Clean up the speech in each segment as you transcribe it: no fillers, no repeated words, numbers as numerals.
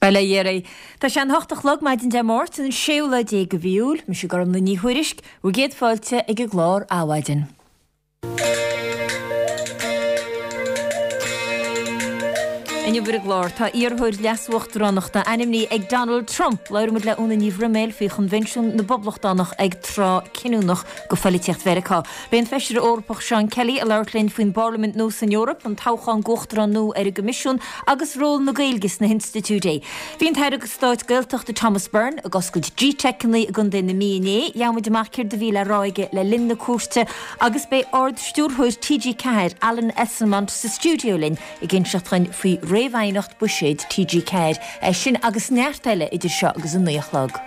Bail ó Dhia oraibh. Tá sé an hocht a chlog maidin Dé Máirt, an séú lá déag de mhí Iúil. Mise Gormlaith Ní Thuairisg, bhur gcéad fáilte ag an gclár Adhmhaidin. Inniu ar an gclár, tá iarrthóir leas-uachtaránachta ainmnithe ag Donald Trump. Labhróidh muid le Úna Ní Bhroiméil faoi Choinbhinsiún na bPoblachtánach ag tráth cinniúnach do phoilitíocht Mheiriceá. Beidh an Feisire Eorpach Seán Kelly ag labhairt linn faoin bParlaimint nua san Eoraip, an toghchán d'Uachtarán nua ar an gCoimisiún agus ról na Gaeilge sna hinstitiúidí. Bhí an tAire Stáit Gaeltachta Thomas Byrne ag oscailt GTeiceanna i gContae na Mí inné. Gheobhaidh muid amach céard a bhí le rá aige le linn na cuairte agus beidh Ard-Stiúrthóir TG4, Alan Esslemont sa stiúideo linn ag inseacht dhuinn faoi réamhaighneacht buiséid TG4. É sin agus neart eile idir seo agus a 9 a chlog.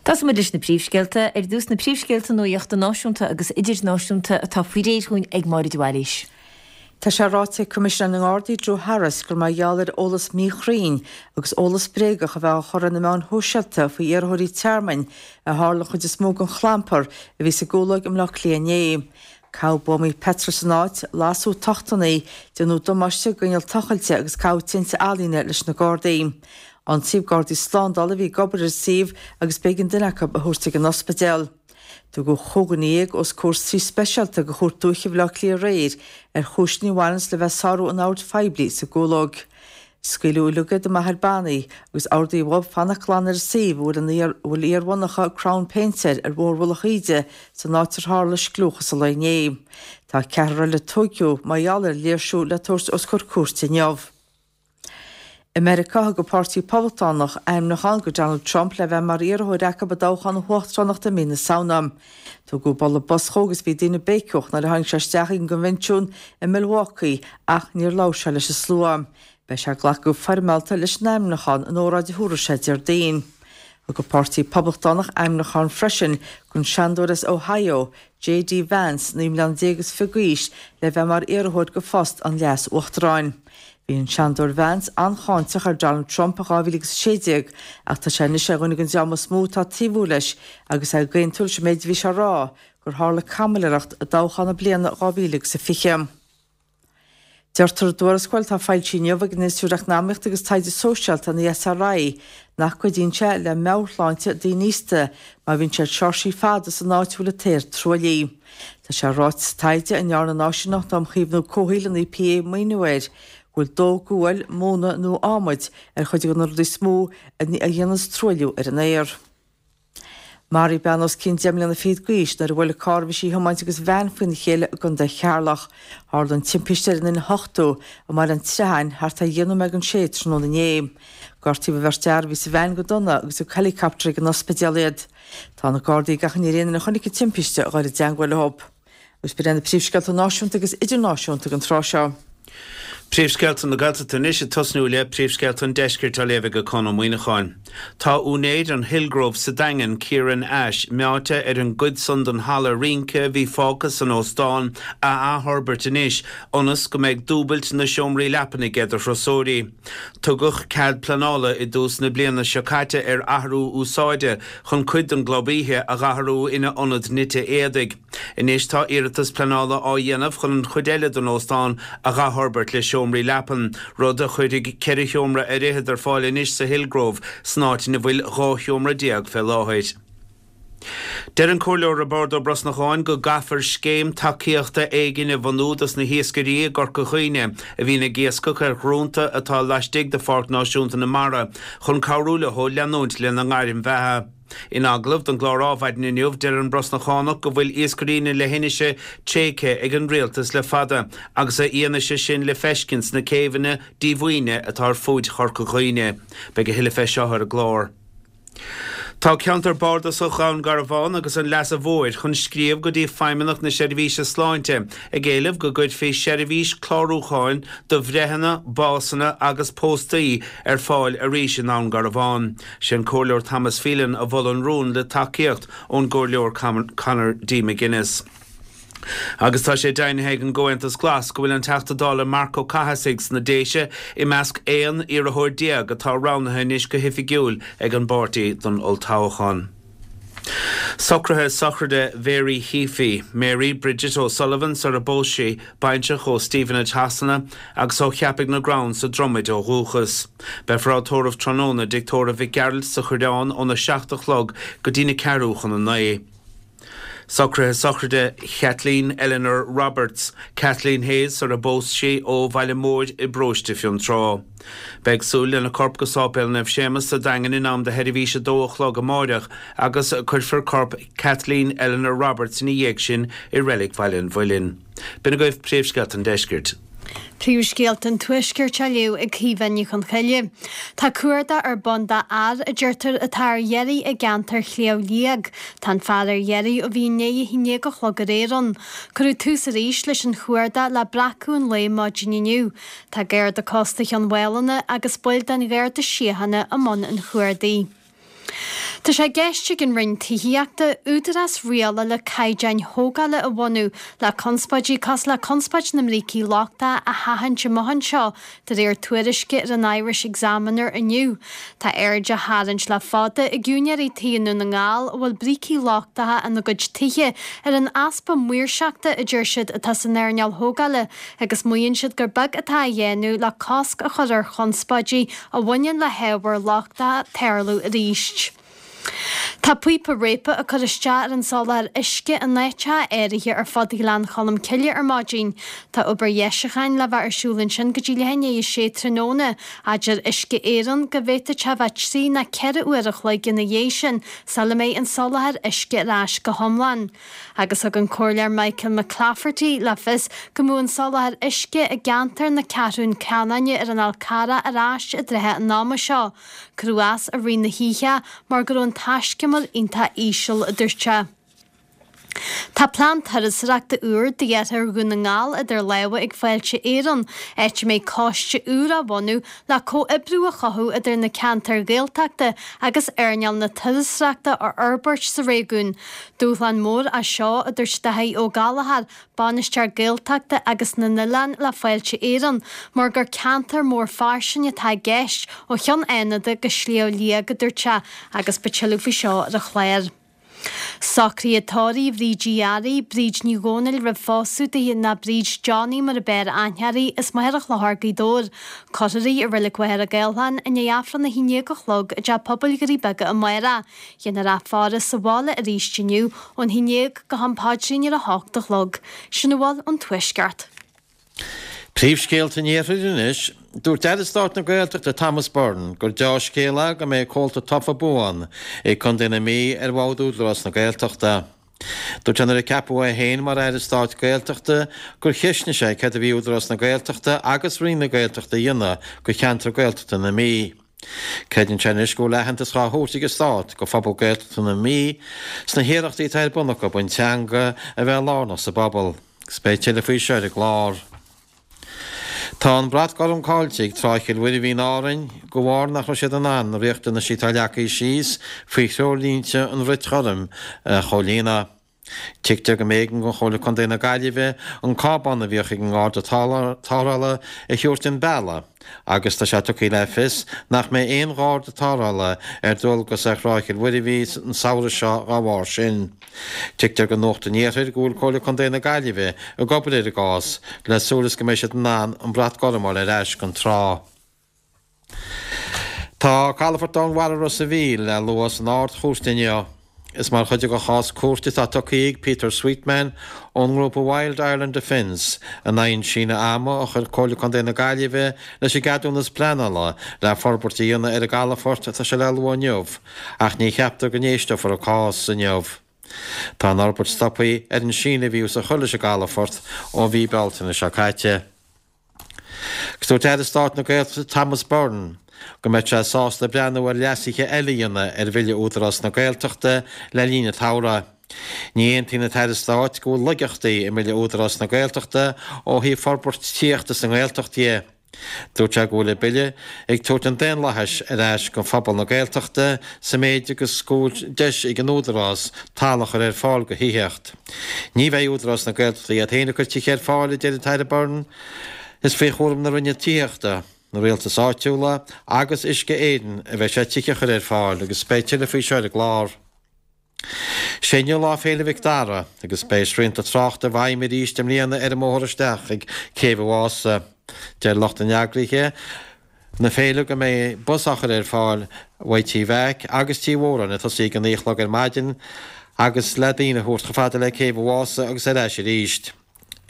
Tosóidh muid leis na príomhscéalta. Ar dtús na príomhscéalta nuachta náisiúnta agus idirnáisiúnta atá faoi réir dhúinn ag Máire de Bhailís. Tá sé ráite ag Coimisinéir na nGardaí Drew Harris gur mar gheall ar eolas míchruinn agus eolas bréagach a bheith á chur ar na meáin shóisialta faoi iarrthóirí tearmainn a tharla an chuid is mó den chlampar a bhí sa gCúlóig i mBleá Cliath inné. Caitheadh buamaí peitril san áit, lasadh tochtanna, déanadh damáiste d'inneall tochailte agus caitheadh tinte ealaíne leis na Gardaí. Ionsaíodh Gardaí slándála a bhí ag obair ar an suíomh agus b'éigean duine acu a thabhairt ag an ospidéal. Tugadh 15 dhuine os comhair suí speisialta de Chúirt Dúiche Bhaile Átha Cliath aréir ar chúiseanna a bhaineanns le bheith ag sárú an oird phoiblí sa gCúlóg. Scaoileadh uilig iad i Machaire Bannaí agus ordaíodh dhóibh fanacht glan ar an suíomh a bhfuil an bhfuil iar-mhonarcha Crown Paints air ar Bhóthar Mhullach Íde san áit ar tharla scliúchas an lae inné. Tá ceathrar eile tógtha mar gheall ar léirsiú le tabhairt os comhair cúirte inniu. I Meiriceá, thug an Páirtí Poblachtánach ainmniúchán do Donald Trump le bheith mar iarrthóir acu i dtoghchán na huachtaránachta i mí na Samhna. Tugadh bualadh bos dhó agus bhí daoine béiceach nuair a tháinig sé isteach ag an gcoinbhinsiún i Milwaukee ach níor labhair sé leis an slua. Beidh sé ag glacadh go foirmeálta leis an ainmniúchán in óráid a thabharfaidh sé Déardaoin. Thug an Páirtí Poblachtánach ainmniúchán freisin don Seanadóir as Ohio, J.D. Vance, 19 mbliana is fiche d'aois, le bheith mar iarrthóir do phost an Leas-Uachtaráin. Bhí an Seanadóir Vance an-cháinteach ar Donald Trump i 2016 ach tá sé anois ar dhuine den dream is mó atá ag taobhú leis agus é ag aontú leis an méid a bhí sé a rá gur tharla caimiléireacht i dtoghchán na bliana 2020. Deirtear i dtuarascáil atá foilsithe inniu ag an Institiúid Eacnamaíochta agus Taighde Sóisialta, an ESRI, nach gcuidíonn sé le meabhairshláinte daoine aosta má bhíonn siad seoirsí fada san áit a bhfuil an t-aer truaillithe. Tá sé ráite sa taighde, a ndearna an Áisíneacht um Chaomhnú Comhshaoil, an EPA, maoiniú air, go bhfuil dó guail, móna nó adhmaid ar chuid de na rudaí is mó a dhéananns truailliú ar an aer. Maraíodh bean os cionn deich mbliana fichead d'aois nuair a bhuail carr a bhí sí a thiomáint agus veain faoina chéile i gContae Cheatharlach. Tharla an timpiste ar an N8 i mBaile an tSratháin thart ar dheich nóiméad don sé tráthnóna inné. Gortaíodh an bheirt fhear a bhí sa veain go dona agus thug helicopter ag an ospidéal iad. Tá na Gardaí ag achainí ar aon duine a chonaic an timpiste a dhul i dteangmháil leo. Agus b'in iad na príomhscéalta náisiúnta agus idirnáisiúnta don tráth seo. Príomhscéalta na Gaeltachta anois ag tosnú le príomhscéalta an Deiscirt á léamh ag Conn Ó Muíneacháin. Tá úinéir an Hillgrove sa Daingean, Kieran Ashe, meáite ar an gcuid san den halla rince a bhí fágtha san óstán a athfhorbairt anois ionas go mbeidh dúbailt na seomraí leapan aige do thurasóirí. Tugadh cead pleanála i dtús na bliana seo caite ar athrú úsáide chun cuid den gclub oíche a dh'athrú ina ionad nite éadaigh. Anois tá iarratas pleanála á dhéanamh chun an chuid eile den óstán a dh'athfhorbairt le seomraí leapan, rud a chuirfidh 14 sheomra ar fhichead ar fáil anois sa Hillgrove san áit ina bhfuil 12 sheomra fé láthair. Deir an Comhairleoir Roibeárd Ó Brosnacháin go gcaithfear scéim tacaíochta éigin a bhunú dos na hiascairí i gCorca Dhuibhne a bhíonn ag iascach ar dhrúnta atá laistigh de Pháirc Náisiúnta na Mara chun cabhrú leo leanúint lena ngairm bheatha. In agallamh don gclár Ádhmhaidin inniu, deir an Brosnachánach go bhfuil iascairí na leithinise tréigthe ag an rialtas le fada agus a fhianaise sin le feiscint sna céibheanna díomhaoine atá ar fuaid Chorca Dhuibhne. Beidh a thuilleadh fé seo ar an gclár. Tá Ceantar Bardasach Dhún Garbhán agus an Leasa Mhóir chun scríobh go dtí Feidhmeannacht na Seirbhíse Sláinte ag éileamh go gcuirfí seirbhís clárúcháin do bhreitheanna, básanna agus póstaí ar fáil arís i nDún Garbhán. Sé an Comhairleoir Thomas Phelan a mhol an rún le tacaíocht ón gComhairleoir Conor D McGuinness. Agus tá sé deimhnithe ag an gComhaontas Glas go bhfuil an Teachta Dála Marc Ó Cathasaigh sna Déise i measc 11 iarrthóir atá roghnaithe anois go hoifigiúil ag an bpáirtí don olltoghchán. Socruithe sochraide Mhary Heaphy, Mary Bridget O'Sullivan sar a bpós sí, baintreach ó Stevenage Shasana agus ó Cheapaigh na gCrann sa Dromaid ó dhúchas. Beifear á tórramh tráthnóna i dTigh Tórraimh Mhic Gearailt sa Choireán óna 7 a chlog go dtína ceathrú chun a 9. Socruithe sochraide Kathleen Eleanor Roberts, Kathleen Hayes sar a bpós sí, ó Bhaile Móir i bparóiste Fionntrá. Beidh ag súil lena corp go Sáipéal Naomh Séamus sa Daingean in am do sheirbhís a dó a chlog amáireach agus cuirfear corp Kathleen Eleanor Roberts ina dhiaidh sin i Reilig Bhaile an Mhuilinn. B'in agaibh Príomhscéalta an Deiscirt. Príomhscéalta an Tuaiscirt á léamh ag Caoimhe Ní Chonchoille. Tá cuardach ar bun d'fhear, a deirtear, atá ar iarraidh i gceantar Shliabh Liag. Tá an fear ar iarraidh ó bhí i ndiaidh a haon déag a chlog aréir ann. Cuireadh tús arís leis an chuardach le breacadh an lae maidin inniu. Tá Garda Cósta Chionn Mhálanna agus baill den Gharda Síochána i mbun an chuardaigh. Tá sé i gceist ag an Roinn Tithíochta údarás rialála caighdeáin thógála a bhunú le conspóidí cosúil le conspóid na mbrící lochtacha a sheachaint amach anseo, de réir tuairisce ar an Irish Examiner inniu. Tá aird á tharraingt le fada ag úinéirí tí i nDún na nGall a bhfuil brící lochtacha ina gcuid tithe ar an easpa maoirseachta, a deir siad, atá san earnáil thógála agus maíonn siad gur beag atá á dhéanamh le cosc a chur ar chonspóidí a bhaineann le hábhair lochtacha tarlú arís. Tá píopa réabtha ag cur isteach ar an soláthar uisce in áiteacha áirithe ar fud Ghleann Cholm Cille ar maidin. Tá obair dheisiúcháin le bheith ar siúl ansin go dtí leath i ndiaidh a sé tráthnóna. Deir Uisce Éireann go bhféadfadh sé bheith trí nó 4 uair a chloig ina dhiaidh sin sula mbeidh an soláthar uisce ar ais go hiomlán. Agus thug an Comhairleoir Michael McClafferty le fios go mbeadh an soláthar uisce i gceantar na Ceathrún Ceannainne ar an Fhál Carrach ar ais i dtrátha an ama seo. Cuireadh as i rith na hoíche mar go raibh an taiscumar iontach íseal, a dúirt sé. Tá plean turasóireachta úr d'iarthar Dhún na nGall idir lámha ag Fáilte Éireann, áit a mbeidh coiste úr á bhunú le comhoibriú a chothú idir na ceantair Ghaeltachta agus earnáil na turasóireachta a fhorbairt sa réigiún. Dúshlán mór é seo, a dúirt Dáithí Ó Gallchóir, Bainisteoir Gaeltachta agus na nOileán le Fáilte Éireann, mar gur ceantar mór fairsing atá i gceist, ó Chionn Fhánada go Sliabh Liag, a dúirt sé, agus beidh tuilleadh faoi seo ar an chlár. Socruithe tórraimh Bhríd Uí Fhearraigh, Bríd Ní Dhomhnaill roimh phósadh di, nó Bríd Johnny mar a b'fhearr aithne uirthi, as Machaire Chlochair, Gaoth Dobhair. Cuirfear í i Reilig Mhachaire Gathlán i ndiaidh Aifreann 11 a chlog i dTeach Pobail Dhoirí Beaga amárach. Déanfar í a fhaire sa bhaile arís inniu ón 11 go ham paidrín ar a hocht a chlog. Sin a bhfuil ón Tuaisceart. Príomhscéalta an Iarthair anois. Dúirt Aire Stáit na Gaeltachta Thomas Byrne gur deá-scéal é go mbeidh comhalta tofa buan ag Contae na Mí ar bhord Údarás na Gaeltachta. Dúirt sé nuair a ceapadh é féin mar Aire Stáit Gaeltachta gur cheistnigh sé céard a bhí Údarás na Gaeltachta agus Roinn na Gaeltachta a dhéanamh do cheantar Gaeltachta na Mí. Creideann sé anois go bhfuil aitheantas dhá thabhairt ag an Stát go phobal Gaeltachta na Mí sna hiarrachtaí atá ar bun acu an teanga a bheith lárnach sa bpobal. Agus beidh tuilleadh faoi seo ar an gclár. Tá an brat gorm caillte ag Trá Chill Mhuirbhigh in Árainn de bharr nach raibh siad in ann na riachtanaisí atá leagtha síos faoi threoirlínte an bhrait ghoirm a chomhlíonadh. Tuigtear go mb'éigean do Chomhairle Contae na Gaillimhe an cábán a bhíodh ag an nGarda Tarrthála a thabhairt den bhealach agus tá sé tugtha le fios nach mbeidh aon Gharda Tarrthála ar dualgas ar Thrá Chill Mhuirbhigh an samhradh seo dá bharr sin. Tuigtear do Nuacht an Iarthair go bhfuil Comhairle Contae na Gaillimhe ag obair ar an gcás le súil is go mbeidh siad in ann an brat gorm a fháil ar ais don trá. Tá calafort domhainmhara Ros a' Mhíl le lua san Ard-Chúirt inniu. Is mar chuid de chás cúirte atá tugtha ag Peter Sweetman ón ngrúpa Wild Ireland Defence in aghaidh an síneadh ama a chuir Comhairle Contae na Gaillimhe leis an gceadúnas pleanála le forbairt a dhéanamh ar an gcalafort atá sé le lua inniu ach ní cheaptar go n-éisteofar an cás inniu. Tá an fhorbairt stoptha ar an síneadh a bhíothas a chur leis an gcalafort ó mhí Bealtaine seo caite. Agus dúirt Aire Stáit na Gaeltachta Thomas Byrne go mbeadh sé sásta breathnú ar leasuithe eile a dhéanamh ar Bhille Údarás na Gaeltachta le linn an tsamhraidh. Ní aontaíonn an tAire Stáit go bhfuil laigeachtaí i mBille Údarás na Gaeltachta ó thaobh forbairt tithíochta sa nGaeltacht dhe. Dúirt sé go bhfuil an Bille ag tabhairt an daonlathais ar ais go phobal na Gaeltachta sa méid agus go bhfuil deis ag an Údarás talamh a chur ar fáil go thithíocht. Ní bheidh Údarás na Gaeltachta iad féin ag cur tithe ar fáil, a deir an tAire Byrne. Is faoi chúram na Roinne Tithíochta, na Rialtais Áitiúla agus Uisce Éireann a bheidh sé tithe a chur ar fáil agus beidh tuilleadh faoi seo ar an gclár. Sé inniu Lá Féile Mhic Dara agus beidh srianta tráchta i bhfeidhm arís i mbliana ar an mbóthar isteach chuig Céibh an Mhása. Deir lucht an eagraithe na féile go mbeidh bus á chur ar fáil uaidh Tí Mheaic agus Tí Mhóráin ag tosaí ag a 9 a chlog ar maidin agus le daoine a thabhairt chomh fada le Céibh an Mhása agus ar ais arís.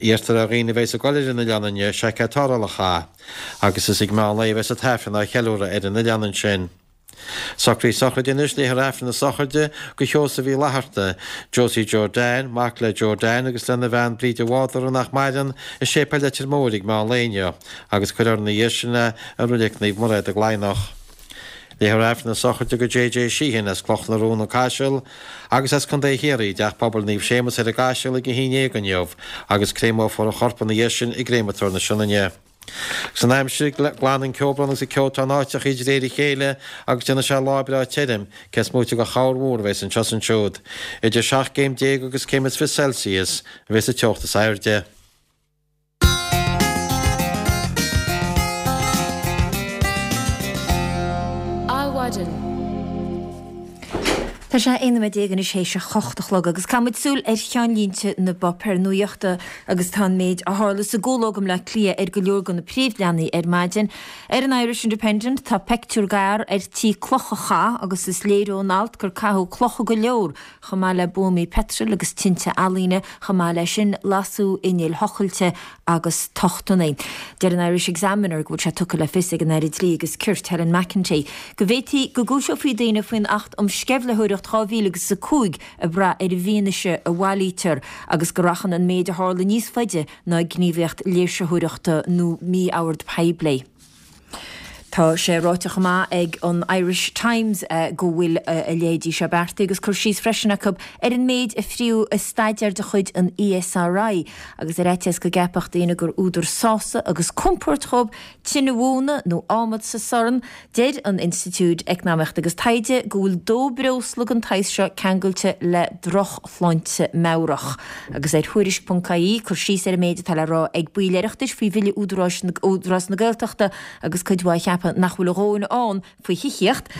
Iarrtar ar dhaoine a bheas ag dul ar an oileán inniu seaicéad tarrthála a chaitheamh agus is ag meán lae a bheas an tAifreann á cheiliúradh ar an oileán ansin. Socruithe sochraide anois, Léifear Aifreann na sochraide do Sheosamh Uí Fhlatharta, Josie Joe Dan, mac le Joe Dan agus lena bhean Bríd de Bhádara nach maireann, i Séipéal Leitir Móir ag meán lae inniu agus cuirfear ina dhiaidh sin é i Reilig Naomh Mairéad i gCladhnach. Léifear Aifreann na sochraide do JJ Sheehan as Cloch na Rón, An Caiseal, agus as Contae Chiarraí i dTeach Pobail Naomh Séamus ar an gCaiseal ag 11 inniu agus créamófar a chorp ina dhiaidh sin i gCréamatóir na Sionainne. San aimsir, glanfaidh an ceobhrán agus an ceotán áiteachaí de réir a chéile agus déanfaidh sé lá breá tirim, cé is móite de chorrmhúr a bheas anseo is ansiúd. Idir 17 gcéim agus céim is 20 Celsius a bheas an teocht is airde. Adhmhaidin. Tá sé 11 nóiméad anois théis a hocht a chlog agus caithfidh muid súil ar cheannlínte na bpáipéar nuachta agus tá an méid a tharla sa gCúlóg i mBleá Cliath ar go leor de na príomhleathanaigh ar maidin. Ar an Irish Independent tá peictiúr d'fhear ar tí cloch a chaitheamh agus is léir ón alt gur caitheadh clocha go leor chomh maith le buamaí peitril agus tinte ealaíne, chomh maith leis sin lasadh innill thochailte agus tochtanna. Deir an Irish Examiner go bhfuil sé tugtha le fios ag an Aire Dlí agus Cirt, Helen McEntee, go bhféadfaí go gcúiseofaí daoine faoin Acht um Sceimhlitheoireacht 2005 ag brath ar an bhfianaise a bhailítear agus go rachann an méid a tharla níos faide ná gníomhaíocht léirsitheoireachta nó mí-ord poiblí. Tá sé ráite chomh maith ag an Irish Times go bhfuil a leithéidí seo beartaithe agus cur síos freisin acu ar an méid a fríodh i staidéar de chuid an ESRI agus ar fhaitíos go gceapfadh daoine gur údar sásaimh agus compoird dhóibh tine mhóna nó adhmad sa sorn, deir an Institiúid Eacnamaíochta agus Taighde go bhfuil dó breosla den tsaghas seo ceangailte le drochshláinte meabhrach. Agus ar Thuairisc.ie, cur síos ar an méid atá le rá ag baill Oireachtais faoi Bhille Údaráis Údarás na Gaeltachta agus cuid mhaith ag ceapadh nach bhfuil a dhóthain ann faoi thithíocht,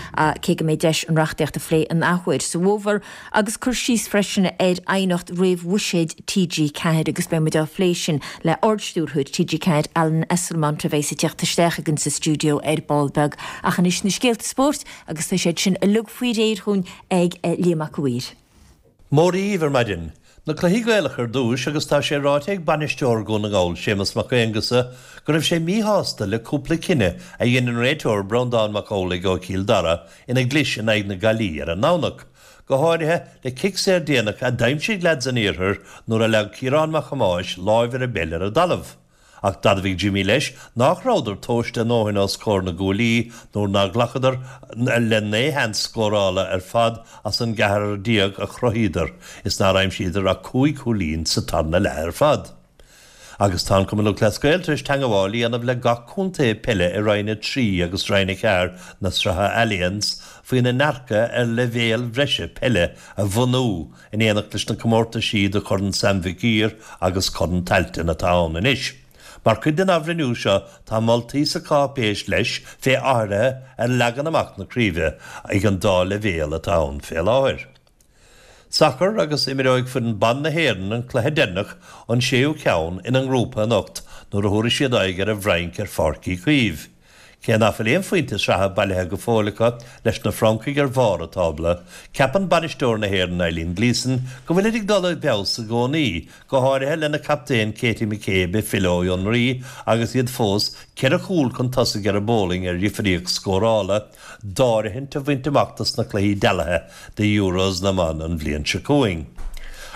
cé go mbeidh deis an reachtaíocht a phlé an athuair sa bhfómhar, agus cur síos freisin ar aighneacht réamh-bhuiséid TG4 agus beidh muid á phlé sin le Ard-Stiúrthóir TG4, Alan Esslemont, a bheas ag teacht isteach againn sa stiúideo ar ball beag. Ach anois na scéalta spóirt agus tá siad sin uilig faoi réir dhúinn ag Liam Mac a' Mhaoir. Mora dhíbh ar maidin. Na cluichí Gaelacha ar dtúis agus tá sé ráite ag bainisteoir Dhún na nGall, Séamus Mac Aonghusa, go raibh sé míshásta le cúpla cinneadh a dhein an réiteoir Breandán Mac Amhlaigh ó Chill Dara ina gclis in aghaidh na Gaillimhe ar an nDomhnach, go háirithe le cic saor déanach a d'aimsigh leaids an iarthair nuair a leag Ciarán Mac Thomáis láimh ar an bpeil ar an dtalamh. Ach d'admhaigh Jimmy leis nách rabhadar tomhaiste a ndóthain os comhair na gcuaillí nuair nár ghlacadar le 19 sheans scórála ar fad as an gceathrar a chruthaíodar is nár aimsíodar ach cúig chúilín sa tarna leath ar fad. Agus tá an Cumann Lúthchleas Gael tar éis teangabháil a dhéanamh le gach contae peile i Roinn 3 agus Roinn 4 na Sraithe Allianz faoina ndearcadh ar leibhéal bhreise peile a bhunú in éineacht leis na comórtaisí do Chorn Sam Mhic Uidhir agus Corn Tailteann atá ann anois. Mar chuid den athbhreithniú seo tá moltaí sa cháipéis leis fé athruithe ar leagan amach na craoibhe ag an dá leibhéal atá ann fé láthair. Sacar agus imreoidh foireann ban na hÉireann an cluiche deireanach, an séú ceann, ina ngrúpa anocht nuair a thabharfaidh siad aghaidh ar an bhFrainc ar Pháirc Uí Chaoimh. Cé nach bhfuil aon phointe sraithe bailithe go fóill acu leis na Francaigh ar bharr an tábla, ceapann bainisteoir na hÉireann Eileen Gleeson go bhfuilid ag dul i bhfeabhas i gcónaí, go háirithe lena captaen Katie McCabe ag filleadh ó fhionraí agus iad fós ceithre chúl chun tosaigh ar an bPolainn ar dhifríocht scórála, d'áirithint a bhaint amach dos na cluichí dealaithe do Euros na mban an bhliain seo chugainn.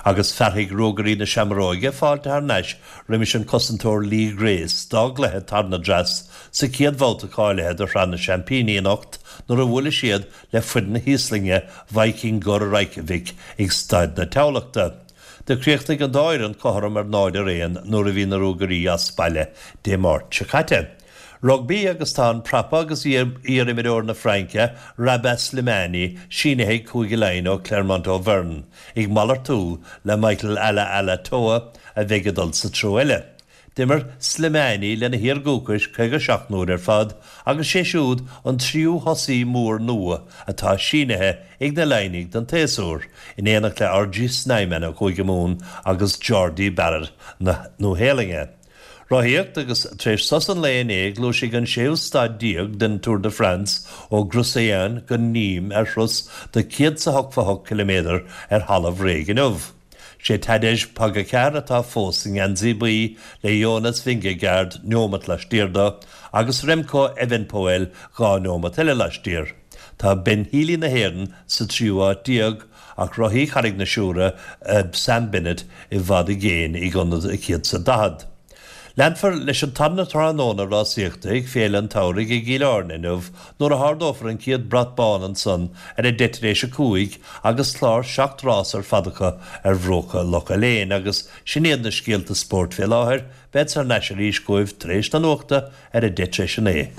Agus fearfaidh Ruagairí na Seamróige fáilte thar n-ais roimis an cosantóir Lee Grace dá gcluiche tarna dreas sa chéad bhabhta cáilithe do Shraith na Seaimpíní anocht nuair a bhuailfidh siad le foireann na hÍoslainne Víkingur Reykjavik ag Staid na Thamhlachta. Do chríochnaigh an dá fhoireann cothrom ar 0-1 nuair a bhí na Ruagairí as baile Dé Máirt seo caite. Rugbaí agus tá an prapa agus iar-imreoir na Fraince, Rabah Slimani, sínithe ag Cúige Laighean ó Clermont Auvergne, ag malartú le Michael Alaalatoa a bheidh ag dul sa treo eile. D'imir Slimani lena thír dhúchais 57 n-uair ar fad agus sé siúd an tríú thosaí mór nua atá sínithe ag na Laighnigh don tséasúr, in éineacht le RG Snyman ó Chúige Mumhan agus Jordie Barrett na Nua-Shéalainne. Rothaíocht agus tar éis sos an lae inné gluaisfidh an séú staid déag den Tour de France ó Groussaillan go Nîmes ar thuras de 188 ciliméadar ar thalamh réidh inniu. Sé Tadej Pogacar atá fós sa ngeansaí buí le Jonas Vingegaard neomat laistiar dó agus Remco Evenepoel 2 neomat eile laistiar. Tá Ben Healy na hÉireann sa tríú háit déag ach rothaí Charraig na Siúire, Sam Bennett, i bhfad i gcéin ag ionad a 140. Leanfar leis an tarna tráthnóna rásaíochta ag Féile an tSamhraidh i gCill Airne inniu nuair a hardófar an chéad brat bán ansan ar a deich tar éis a 5 agus clár 7 rás ar fad acu ar bhruacha Loch Aléin agus sin iad na scéalta spóirt fé láthair, bead thar n-ais arís chugaibh tar éis na nuachta ar a deich tar éis a 9.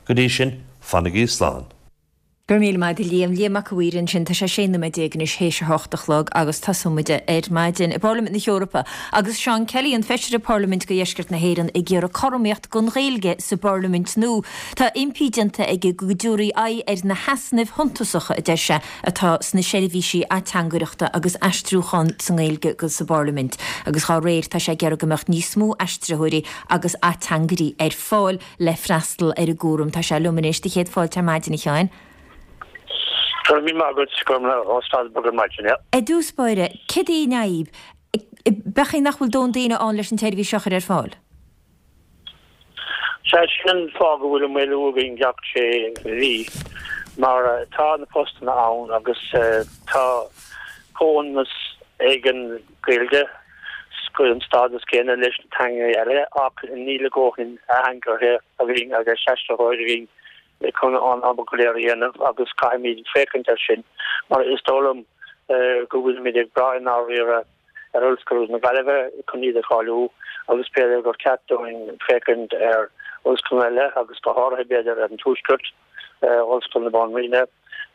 Go dtí sin, fanaigí slán. Go raibh míle maith agat a Liam. Liam Mac a' Mhaoir ansin. Tá sé 16 nóiméad anois théis a hocht a chlog agus tosóidh muid ar maidin i bParlaimint na hEorpa agus Seán Kelly, an Feisire Parlaiminte do Dheisceart na hÉireann ag iarraidh cothromaíocht don Ghaeilge sa bParlaimint nua. Tá impí déanta aige go dtabharfaí aghaidh ar na heasnaimh shuntasacha, a deir sé, atá sna seirbhísí ateangaireachta agus aistriúcháin sa nGaeilge sa bParlaimint agus dhá réir tá sé ag iarraidh go mbeadh níos mó aistritheoirí agus ateangairí ar fáil. le freastal ar an gcúram. Tá sé liom anois. Do chéad fáilte ar maidin, a Sheáin. Go raibh míle maith agat. Go raibh mé ó Strasbourg ar maidin, yeah. I dtús báire, céard í an fhadhb? B'fhéidir nach bhfuil dóthain daoine ann leis an tseirbhís seo a chur ar fáil? Sea, sin an fáth go bhfuil an maolú againn gach sé mhí, mar tá na postanna ann agus tá comhionannas ag an Ghaeilge. an stádas céanna leis na teangacha eile ach níl a dhóthain ateangairí againn agus aistritheoirí againn chun an obair go léir a dhéanamh agus caithfimid féachaint air sin mar is dóigh liom go bhfuilimid ag brath i ndáiríre ar Ollscoil na Gaillimhe chun iad a cháiliú agus b'fhéidir gur ceart dúinn féachaint ar ollscoileanna eile agus go háirithe b'fhéidir ar an Tuaisceart. Ollscoil na Banríona,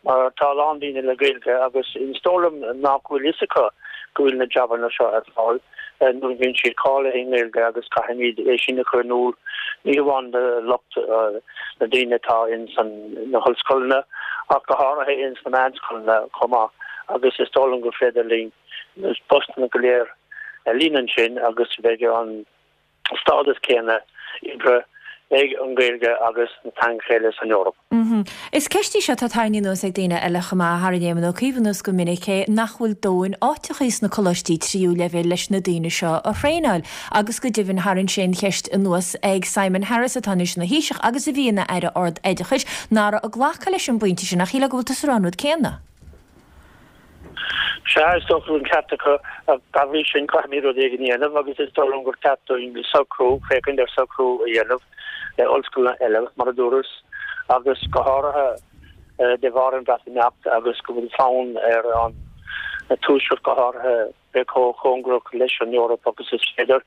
mar tá a lán daoine le Gaeilge agus is dóigh liom nach bhfuil fhios acu go bhfuil na jabanna seo ar fáil nuair a bhíonn siad cáilithe i nGaeilge agus caithfimid é sin a chur in iúl ní hamháin do lucht na daoine atá ins na hollscoileanna ach go háirithe ins na meánscoileanna chomh maith agus is dóigh liom gur féidir linn na postanna go léir a líonadh ansin agus beidh an stádas céanna oibre ag an Ghaeilge agus na teangacha eile san Eoraip. Is ceist í seo atá tarraingthe anuas ag daoine eile chomh maith, tharraing Éamon Ó Cuív anuas go minic é, nach bhfuil dóthain áiteachaí sna coláistí tríú leibhéal leis na daoine seo a thraenáil agus go deimhin tharraing sé an cheist anuas ag Simon Harris atá anois ina Thaoiseach agus a bhí ina Aire Ard-Oideachais nach raibh ag glacadh leis an bpointe sin ach shílfeá go bhfuil tusa ag rá an rud céanna. Sea, is dócha go bhfuil an ceart acu. Dá bhrí sin, caithfimid rud éigin a dhéanamh agus is dóigh liom gur ceart dúinn socrú, féachaint ar socrú a dhéanamh le ollscoileanna eile, mar a dúras, agus go háirithe de bharr an Bhreatimeacht agus go bhfuil fonn ar an Tuaisceart go háirithe bheith chomh cóngarach leis an Eoraip agus is féidir,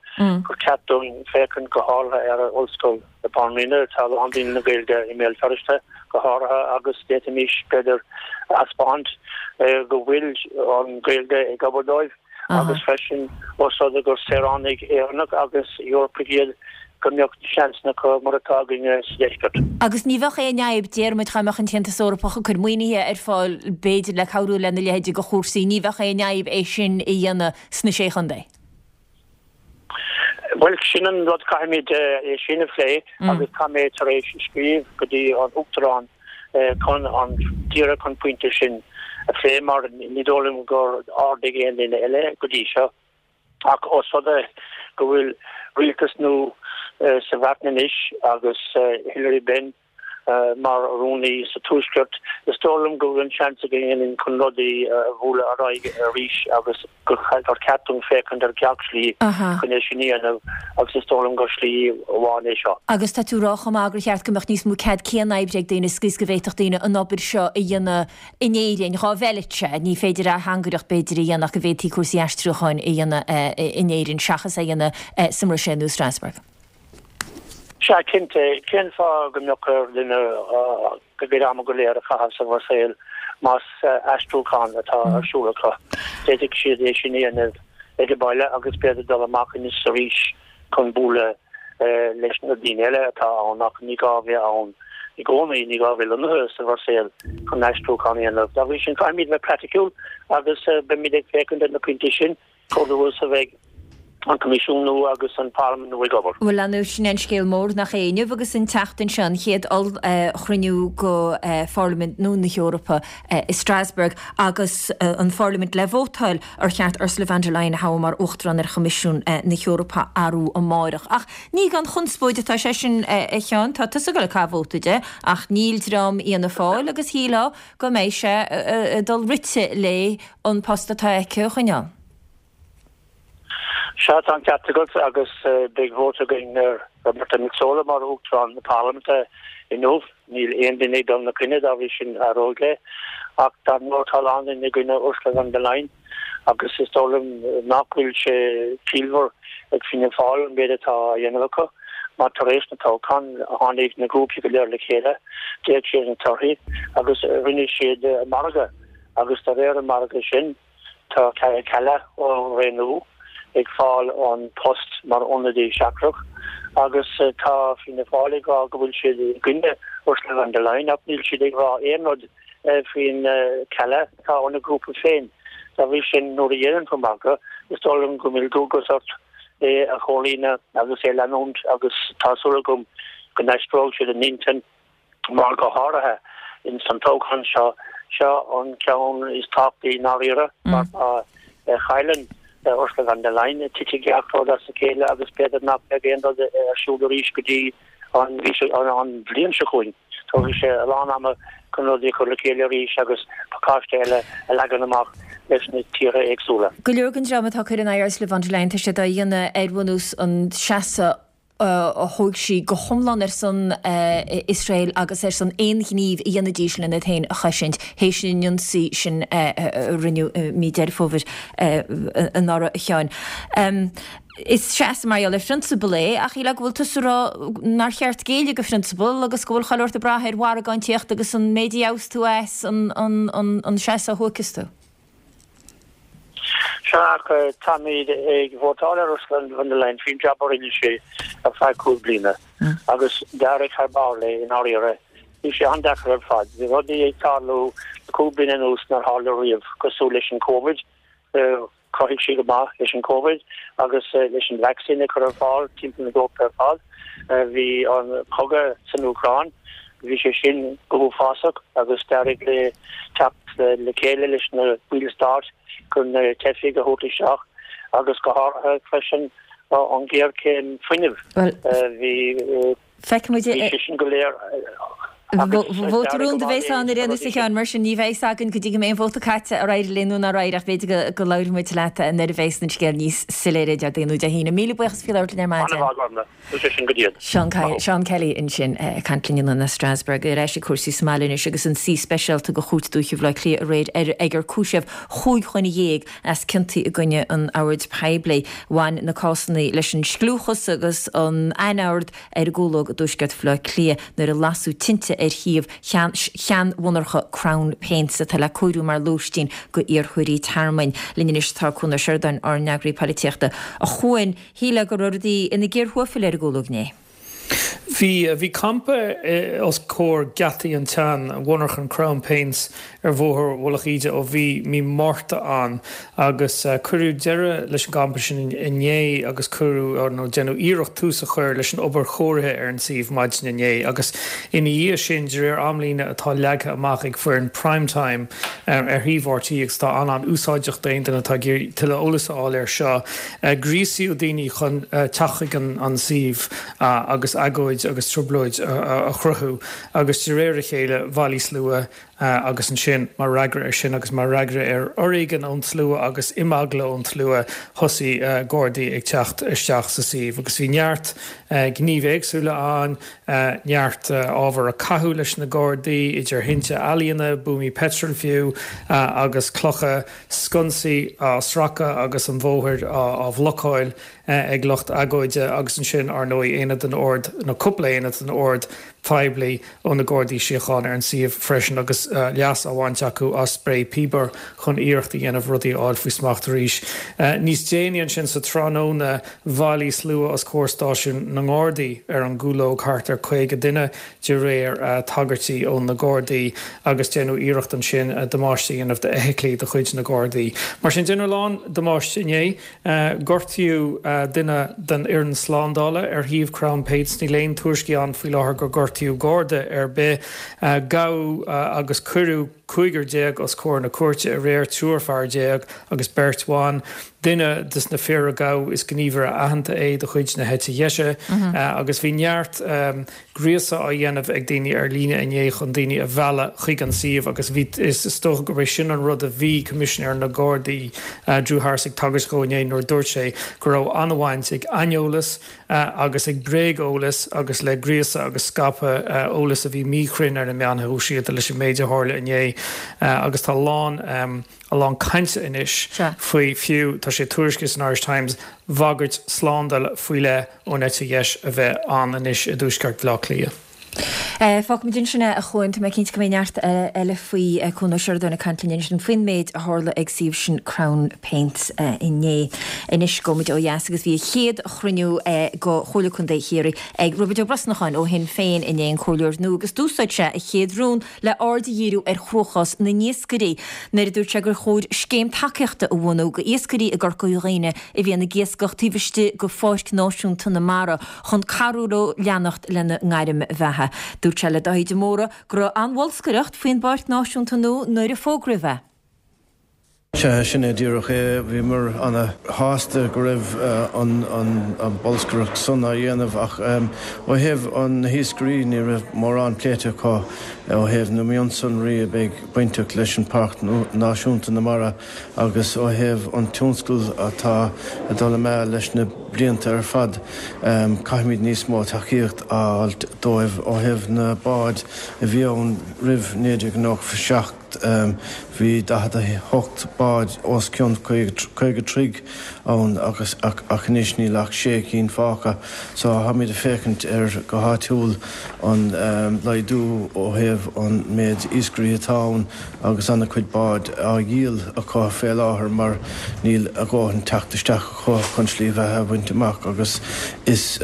gur ceart dúinn féachaint go háirithe ar Ollscoil na Banríona. Tá a lán daoine le Gaeilge i mBéal Feirste go háirithe agus d'fhéadfaimis, b'fhéidir, a thaispeáint go bhfuil an Ghaeilge ag obair dóibh agus freisin ós rud é gur saoránaigh Éireannach agus Eorpaigh iad, go mbeadh seansanna acu mar atá againne sa deisceart. Agus ní bheadh aon fhadhb, déarfaimid, dá mbeadh an tAontas Eorpach ag cur maoinithe ar fáil, b'fhéidir, le cabhrú lena leithéid de chúrsaí, ní bheadh aon fhadhb é sin a dhéanamh sna Sé Chontae. Bhuel, sin an rud, caithfimid é sin a phlé agus tá mé tar éis scríobh go dtí an Uachtarán chun an, díreach an pointe sin a phlé mar ní dóigh liom gur ardaigh aon duine eile go dtí seo. Ach ós rud é go bhfuil rialtas nua sa Bhreatain anois agus Hilary Benn mar rúnaí sa Tuaisceart, is dóigh liom go bhfuil an seans againn chun rudaí a bhualadh ar aghaidh arís agus gur ceart dúinn féachaint ar gach slí chun é sin a dhéanamh agus is dóigh liom gur slí amháin é seo. Agus tá tú ag rá chomh maith gur cheart go mbeadh níos mó cead cianoibre ag daoine sa gcaoi is go bhféadfadh daoine an obair seo a dhéanamh in Éirinn, dhá bhfeilfeadh sé, ní féidir ateangaireacht b'fhéidir a dhéanamh ach go bhféadfaí cúrsaí aistriúcháin a dhéanamh in Éirinn seachas é a dhéanamh sa mBruiséil nó i Strasbourg. Sea, cinnte. Cén fáth go mbeadh ar dhuine a gcuid ama go léir a chaitheamh sa Bhruiséil más aistriúchán atá ar siúl acu? D'fhéadfadh siad é sin a dhéanamh ag baile agus b'fhéidir dul amach anois arís chun bualadh. leis na daoine eile atá ann ach ní gá a bheith ann i gcónaí, ní gá a bheith lonnaithe sa Bhruiséil chun aistriúchán a dhéanamh. Dá bhrí sin, caithfimid bheith praiticiúil agus beimid ag féachaint ar na pointí sin chomh luath is a bheidh an Coimisiún nua agus an Pharlaimint nua ag obair. Bhuel, ar ndóigh, sin é an scéal mór, nach é? Inniu agus an tseachtain seo, an chéad ollchruinniú de Pharlaimint nua na hEorpa i Strasbourg agus an Pharlaimint le vótáil ar cheart Ursula von der Leyen a thoghadh mar Uachtarán ar Choimisiún na hEorpa arú amáireach. Ach ní gan chonspóid atá sé sin, a Sheáin. Tá tusa ag dul ag caitheamh vóta di, ach níl dream Fhianna Fáil agus shílfeá go mbeidh sé ag dul rite léi an post atá aici a choinneáil. Sea, tá an ceart agat agus beidh vóta againn ar Roberta Metsola mar Uachtarán na Parlaiminte inniu. Níl aon duine ag dul ina coinne, dá bhrí sin éireoidh léi. Ach dar ndóigh tá a lán daoine i gcoinne Ursula von der Leyen agus is dóigh liom nach bhfuil sé ciallmhar ag Fianna Fáil an méid atá á dhéanamh acu mar tar éis na toghchán tháinig na grúpaí go léir le chéile, d'fhéach siad ar na torthaí agus rinne siad margadh agus de réir an mhargaidh sin, Tá Kaja Kallas ó Ré Nua ag fáil an post mar ionadaí seachtrach agus tá Fianna Fáil ag rá go bhfuil siad i gcoinne Ursula von der Leyen ach níl siad ag rá aon rud faoin Kallas atá ina grúpa féin. Dá bhrí sin, nuair a dhéanann tú margadh, is dóigh liom go bhfuil dualgas ort é a chomhlíonadh agus é a leanúint agus tá súil agam go n-aistreoidh siad a n-intinn. mar go háirithe ins an toghchán seo, seo an ceann is tábhachtaí i ndáiríre mar má chailleann Ursula von der Leyen titfidh gach rud as a chéile agus b'fhéidir nach mbeidh aon rud ar siúl arís go dtí an an bhliain seo chugainn. Tógfaidh sé a lán ama chun rudaí a chur le chéile arís agus pacáiste eile a leagan amach leis na tíortha éagsúla. Go leor den dream atá ag cur in aghaidh Ursula von der Leyen, tá siad á dhéanamh ar bhunús an seasamh a thóg sí go hiomlán ar son Iosrael agus ar son aon ghníomh a dhéanfaidís lena iad féin a chosaint théis an ionsaí sin a rinneadh i mí Deireadh Fómhair anuraidh, a Sheáin. Is seasamh mar gheall ar phrionsabal é, ach shílfeá go bhfuil tusa ag rá nár cheart géilleadh do phrionsabal agus go bhfuil chuile shórt ag brath ar mhargántaíocht agus an méid a gheobhas tú as an seasamh a thóigfeas tú. Sea, ach táimid ag vótáil ar Ursula von der Leyen faoin jab a rinne sí ar feadh 5 bliana agus d'éirigh thar barr léi i ndáiríre. Bhí sé an-deacair ar fad. Bhí rudaí ag tarlú le 5 bliana anuas nár tharla riamh, cosúil leis an Covid. Chruthaigh sí go maith leis an Covid agus leis an vaccine a chur ar fáil timpeall na hEorpa ar fad. Bhí an cogadh san Úcráin. Bhí sé sin go huafásach agus d'éirigh léi teacht le chéile leis na baill stáit chun na teifigh a thabhairt isteach agus go háirithe freisin an ghéarchéim fuinnimh. Bhí sé sin go léir agus Vóta rúnda a bheas ann ar aon nós a Sheáin, mar sin ní bheidh fhios againn go dtí go mbeidh an vóta caite ar éirigh léi nó nár éirigh ach b'fhéidir go labhróidh muid leat nuair a bheas an scéal níos soiléire Déardaoin nó Dé hAoine. Míle buíochas faoi labhairt linn ar maidin. Seán Kelly ansin ag caint linn anonn as Strasbourg. Ar ais ag cúrsaí sa mbaile anois agus an suí speisialta de Chúirt Dúiche Bhaile Átha Cliath aréir ar ag cúiseamh chúig dhuine dhéag as ciontaí i gcoinne an oird poiblí. Bhain na cásanna leis an scliúchas agus an anord ar an gCúlóg i dtuaisceart Bhaile Átha Cliath nuair a lasadh tinte ar shuíomh sheanmhonarcha Crown Paints atá le cóiriú mar lóistín go iarrthóirí tearmainn. Linn anois tá Cuan Ó Seireadáin, ár n-eagraí polaitíochta. A Chuain, Shílfeá go raibh rudaí ina gcíor thuaifil ar an gCúlóg inné. Bhí, bhí campa os comhair geataí an tsean mhonarchan Crown Paints ar Bhóthar Mhullach Íde ó bhí mí Márta ann agus cuireadh deireadh leis an gcampa sin inné agus cuireadh, nó déanadh iarracht tús a chur leis an obair chóirithe ar an suíomh maidin inné agus ina dhiaidh sin de réir amlíne atá leagtha amach ag foireann Prime Time ar shuíomh RTÉ agus atá an-an-úsáideach d'aon duine atá ag iarraidh tuilleadh eolais a fháil air seo. Gríosaíodh daoine chun teacht chuig an suíomh agus agóid agus trioblóid a chruthú agus de réir a chéile bhailigh slua agus ansin mar fhreagra air sin agus mar fhreagra ar fhoréigean ón tslua agus imeagla ón tslua thosaigh Gardaí ag teacht isteach sa suíomh agus bhí neart gnímh éagsúla ann, neart ábhar a caitheadh leis na Gardaí, idir thinte ealaíne, buamaí peitril fiú agus clocha. sconsaí á sracadh agus an bhóthair á bhlocáil ag lucht agóide agus ansin, ar ndóigh, aonad den ord, nó cúpla aonad den ord. phoiblí ó na Gardaí Síochána ar an suíomh freisin agus leas á bhaint acu as sprae píobair chun iarracht a dhéanamh rudaí a fháil faoi smacht arís. Níos déanaí ansin sa tráthnóna bhailigh slua os comhair stáisiún na nGardaí ar an gCúlóg, thart ar 50 duine de réir tagairtí ó na Gardaí, agus déanadh iarracht ansin damáiste a dhéanamh d'fheithiclí de chuid na Gardaí. Mar sin, déanadh a lán damáiste inné. Gortaíodh duine den fhoireann slándála ar shuíomh Crown Paints. Níl aon tuairiscí ann faoi láthair gur gortaíodh Garda ar bith. Gabhadh agus cuireadh cúigear os comhair na cúirte aréir, triúr fear agus beirt bhan. Duine des na fir a gabhadh is gníomhaire aitheanta é de chuid na heite dheise agus bhí neart gríosadh á dhéanamh ag daoine ar líne inné chun daoine a mhealladh chuig an suíomh agus bhí, is dócha gurb é sin an rud a bhí Coimisinéir na Gardaí, Drew Harris ag tagairt dhó inné nuair a dúirt sé go raibh an-bhaint ag aineolas agus ag bréageolas agus le gríosadh agus scaipeadh eolas a bhí míchruinn ar na meáin shóisialta leis an méid a tharla inné agus tá a lán a lán cainte anois faoi fiú, tá sé tuairiscithe san Irish Times, bhagairt slándála faoi leith ón eite dheis a bheith ann anois i dtuaisceart Bhaile Átha Cliath. Fágfaimid ansin é a Chuain, tá mé cinnte go mbeidh neart eile faoi. Cuan Ó Seireadáin ag caint linn ansin faoin méid a tharla ag suíomh sin Crown Paints inné. Anois gabhfaimid ó dheas agus bhí a chéad chruinniú go Chomhairle Contae Chiarraí ag Roibeard Ó Brosnacháin ó Shinn Féin inné, an comhairleoir nua, agus d'úsáid sé a chéad rún le aird a dhíriú ar chruachás na n-iascairí nuair a dúirt sé gur chóir scéim tacaíochta a bhunú go iascairí i gCorca Dhuibhne a bhíonn ag iascach taobh istigh go Pháirc Náisiúnta na Mara chun cabhrú leo leanacht lena ngairm bheatha. Dúirt sé le Dáithí de Mórdha go raibh an-bholscaireacht faoin bPáirc Náisiúnta nua nuair a fógraíodh é. Sea, sin é díreach é. Bhíomar ana-shásta go raibh an bolscaireacht san á dhéanamh ach ó thaobh na hiascairí ní raibh mórán pléite acu ó thaobh na mionsonraí a bheidh bainteach leis an Páirc Náisiúnta na Mara agus ó thaobh an tionscal atá ag dul amú leis na blianta ar fad. Caithfimid níos mó tacaíocht a fháilt dóibh ó thaobh na báid a bhí ann roimh 1997. Bhí 48 bád os cionn 50 troigh ann agus ach anois níl ach sé cinn fágtha. So táimid ag féachaint ar go háitiúil an laghdú ó thaobh an méid iascairí atá ann agus ana-chuid bád á dhíol acu fé láthair mar níl a dhóthain teacht isteach acu chun slí bheatha a bhaint amach agus is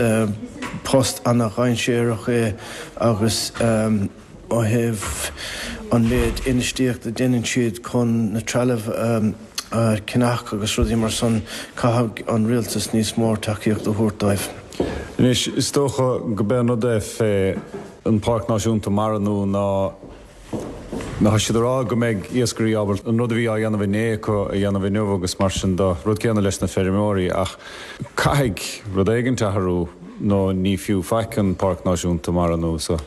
post ana-dhainséarach é agus Ó thaobh an méid infheistíocht a deineann siad chun na trealamh a cheannach agus rudaí mar san, caithfidh an rialtas níos mór tacaíocht a thabhairt dóibh. Anois, is dócha go b'é an rud é fé an Páirc Náisiúnta Mara nua ná tá siad a rá go mbeidh iascairí ábalta an rud a bhí á dhéanamh inné acu a dhéanamh inniu agus mar sin de, rud céanna leis na feirmeoirí ach caithfidh rud éigint athrú nó ní fiú faic an Páirc Náisiúnta Mara nua so.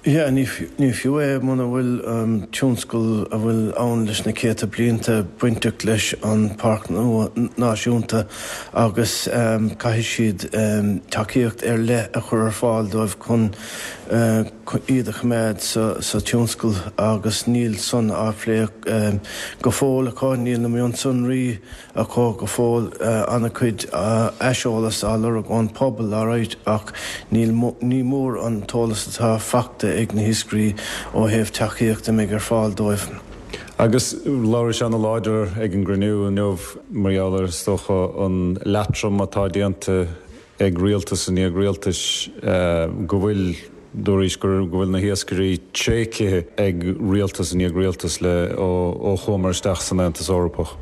Yeah, ní fiú é muna bhfuil an tionscal a bhfuil ann leis na céadta blianta bainteach leis an Páirc Náisiúnta agus caithfidh siad tacaíocht ar leith a chur ar fáil dóibh chun iad a choimeád sa tionscal agus níl san á phlé go fóill acu, níl na mionsonraí acu go fóill. An-chuid aiseolas á lorg ón pobal alright ach níl, ní mór an t-eolas atá faighte ag na hiascairí ó thaobh tacaíocht a mbeidh ar fáil dóibh. Agus labhair sé ana-láidir ag an gcruinniú inniu mar gheall ar, is dócha, an leatrom atá déanta ag rialtas i ndiaidh rialtais go bhfuil, dúraís go bhfuil na hiascairí tréigthe ag rialtas i ndiaidh rialtais le ó chuamar isteach san Aontas Eorpach.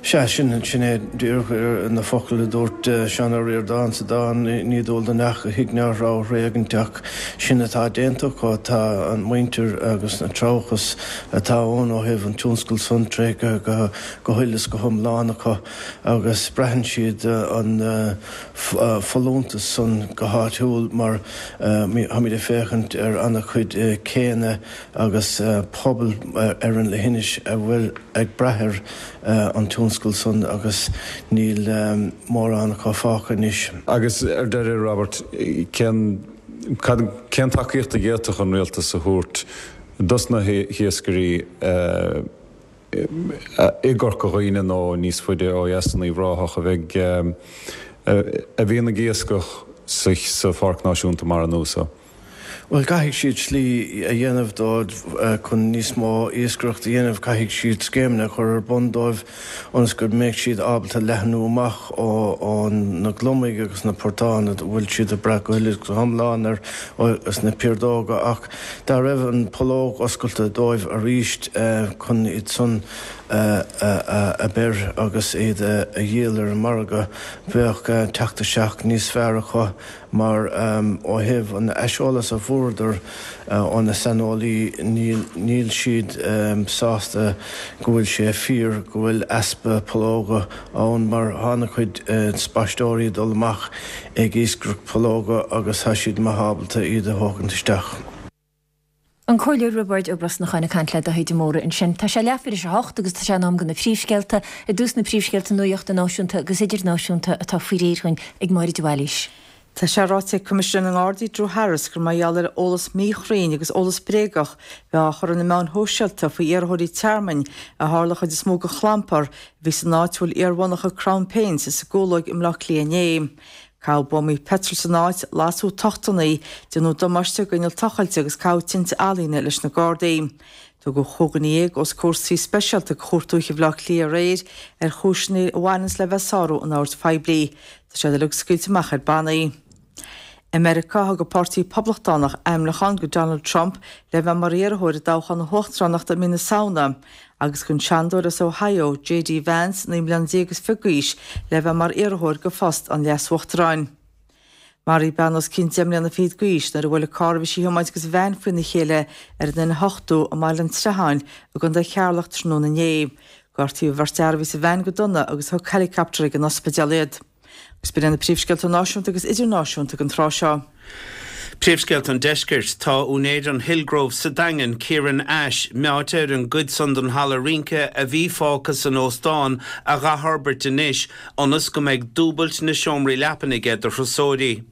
Sea, sin, sin é díreach na focail a dúirt Seán Ó Ríordáin sa dán 'Ní dual do neach a thigh ná a threabh a thréigint' ach sin atá déanta acu, tá an muintir agus an treabhchas atá ann ó thaobh an tionscail san tréigthe go huile is go hiomlán acu agus braitheann siad an folúntas san go háitiúil mar táimid ag féachaint ar ana-chuid céanna agus pobal ar an leithinis a bhfuil ag brath ar an tionscal san agus níl mórán acu fágtha anois. Agus ar deireadh, Robert, cén, cad, cén tacaíocht a d'fhéadfadh an rialtas a thabhairt dos na hiascairí i gCorca Dhuibhne nó níos faide ó dheas in Uíbh Ráthach a bheidh, a bhíonn ag iascach sa Pháirc Náisiúnta Mara nua so? Bhuel, caithfidh siad slí a dhéanamh dóibh chun níos mó iascaireacht a dhéanamh, caithfidh siad scéimeanna a chur ar bun dóibh ionas go mbeidh siad ábalta leathnú amach ó na gliomaigh agus na portáin a bhfuil siad ag brath go huile is go hiomlán air is na piardóga ach dá raibh an pollóg oscailte dóibh arís chun iad san a beir agus iad a dhíol ar an margadh bheadh teacht isteach níos fearr acu. Mar ó thaobh an aiseolas a fuaireadar ó na saineolaí, níl siad sásta go bhfuil sé fíor go bhfuil easpa pollóga ann mar tá an-chuid spaisteoirí ag dul amach ag iascaireacht pollóga agus tá siad maith ábalta iad a thógaint isteach. An Comhairleoir Roibeárd Ó Brosnacháin ag caint le Daithí de Mórdha ansin. Tá sé leathuair tar éis a hocht agus tá sé in am do na príomhscéalta. I dtús na príomhscéalta nuachta náisiúnta agus idirnáisiúnta atá faoi réir dhúinn ag Máire de Bhailís. Tá sé ráite ag Coimisinéir na nGardaí Drew Harris gur mar gheall ar eolas míchruinn agus eolas bréagach a bheith á chur ar na meáin shóisialta faoi iarrthóirí tearmainn a tharla chuid is mó den chlampar a bhí san áit a bhfuil iarmhonarcha Crown Paints sa gCúlóig i mBleá Cliath inné. Caitheadh buamaí peitril san áit, lasadh tochtanna, déanadh damáiste d'inneall tochailte agus caitheadh tinte ealaíne leis na Gardaí. Tugadh 15 dhuine os comhair suí speisialta de Chúirt Dúiche Bhaile Átha Cliath aréir ar chúiseanna a bhaineanns le bheith ag sárú an oird phoiblí. Tá siad uilig scaoilte amach ar bannaí. I Meiriceá, thug an Páirtí Poblachtánach ainmniúchán do Donald Trump le bheith mar iarrthóir i dtoghchán na huachtaránachta i mí na Samhna. Agus don Seanadóir as Ohio, JD Vance, 19 mbliana is fiche d'aois, le bheith mar iarrthóir do phost an leas-uachtaráin. Maraíodh bean os cionn deich mbliana fichead d'aois nuair a bhuail an carr a bhí sí a thiomáint agus veain faoina chéile ar an N8 i mBaile an tSratháin i gContae Cheatharlach tráthnóna inné. Gortaíodh an bheirt fhear a bhí sa veain go dona agus thug helicopter ag an ospidéal iad. Agus b'in iad na príomhscéalta náisiúnta agus idirnáisiúnta don tráth seo. Príomhscéalta an Deiscirt, Tá úinéir an Hillgrove sa Daingean, Kieran Ashe, meáite ar an gcuid san den halla rince a bhí fágtha san óstán a dh'athfhorbairt anois ionas go mbeidh dúbailt na seomraí leapan aige do thurasóirí.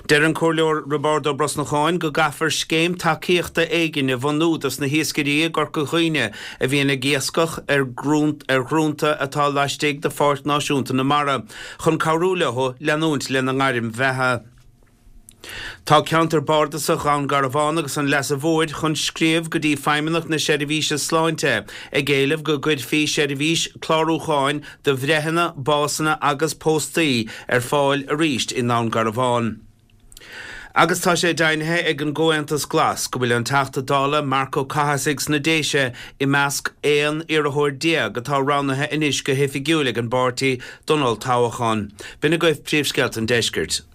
Deir an Comhairleoir Roibeárd Ó Brosnacháin go gcaithfear scéim tacaíochta éigin a bhunú dos na hiascairí i gCorca Dhuibhne a bhíonn ag iascach ar dhrúnta atá laistigh de Pháirc Náisiúnta na Mara chun cabhrú leo leanúint lena ngairm bheatha. Tá ceantar bardasach Dhún Garbhán agus an Leasa Mhóir chun scríobh go dtí Feidhmeannacht na Seirbhíse Sláinte ag éileamh go gcuirfí seirbhís clárúcháin do bhreitheanna, básanna agus póstaí ar fáil arís i nDún Garbhán. Agus tá sé deimhnithe ag an gComhaontas Glas go bhfuil an Teachta Dála Marc Ó Cathasaigh sna Déise i measc 11 iarrthóir atá roghnaithe anois go hoifigiúil ag an bpáirtí don olltoghchán. B'in agaibh príomhscéalta an deiscirt.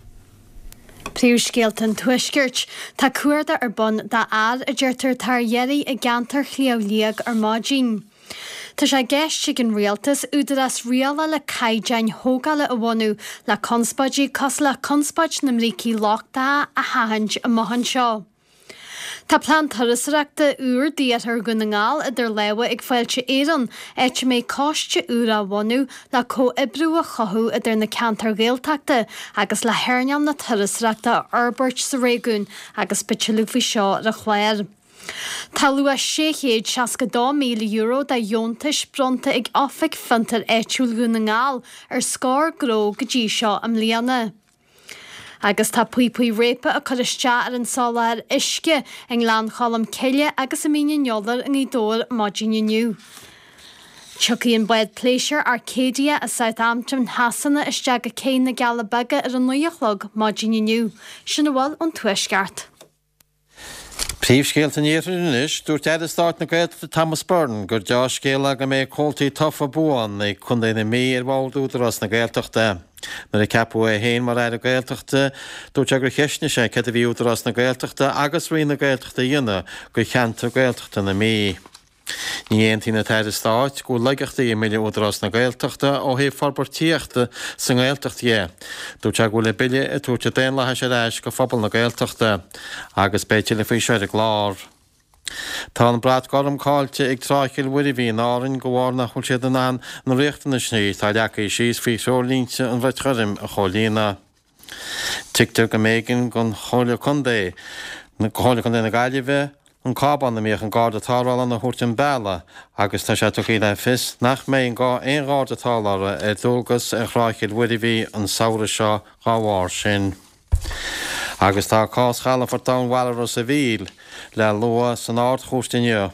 Príomhscéalta an Tuaiscirt. Tá cuardach ar bun d'fhear a deirtear atá ar iarraidh i gceantar Shliabh Liag ar maidin. Tá sé i gceist ag an Rialtas údarás rialála caighdeáin thógála a bhunú le conspóidí cosúil le conspóid na mbrící lochtacha a sheachaint amach anseo. Tá plean turasóireachta úr d'iarthar Dhún na nGall idir lámha ag Fáilte Éireann, áit a mbeidh coiste úr á bhunú le comhoibriú a chothú idir na ceantair Ghaeltachta agus le hearnáil na turasóireachta a fhorbairt sa réigiún agus beidh tuilleadh faoi seo ar an chlár. Tá luach €662,000 de dheontais bronnta ag Oifig Fiontair Áitiúil Dhún na nGall ar scór gnó go dtí seo i mbliana. Agus tá píopaí réabtha ag cur isteach ar an soláthar uisce i nGleann Cholm Cille agus i Mín an Iolair i nGaoth Dobhair maidin inniu. Tiocfaidh an bád pléisiúir Arcadia as Southampton Shasana isteach go Cé na gCealla Beaga ar a 9 a chlog maidin inniu. Sin a bhfuil ón Tuaisceart. Príomhscéalta an Iarthair anois, Dúirt Aire Stáit na Gaeltachta Thomas Byrne gur deá-scéal é go mbeidh comhaltaí tofa buan ag Contae na Mí ar bhord Údarás na Gaeltachta. Nuair a ceapadh é féin mar Aire Gaeltachta, dúirt sé gur cheistnigh sé céard a bhí Údarás na Gaeltachta agus Roinn na Gaeltachta a dhéanamh do cheantar Gaeltachta na Mí. Ní aontaíonn an tAire Stáit go bhfuil laigeachtaí i mBille Údarás na Gaeltachta ó thaobh forbairtíochta sa nGaeltacht dhe. Dúirt sé go bhfuil an Bille ag tabhairt an daonlathais ar ais go phobal na Gaeltachta. Agus beidh tuilleadh faoi seo ar an gclár. Tá an brat gorm caillte ag Trá Chill Mhuirbhigh in Árainn de bharr nach bhfuil siad in ann na riachtanais atá leagtha síos faoi threoirlínte an bhrait ghoirm a chomhlíonadh. Tuigtear go mb'éigean don Chomhairle Contae, Comhairle Contae na Gaillimhe, an cábán a mbíodh an garda tarrthála ann a thabhairt an bealach agus tá sé tugtha le fios nach mbeidh aon gharda tarrthála ar dualgas ar Thrá Chill Mhuirbhigh an samhradh seo dhá bharr sin. Agus tá cás chalafort Domhainmhara Ros a' Mhíl le lua san Ard-Chúirt inniu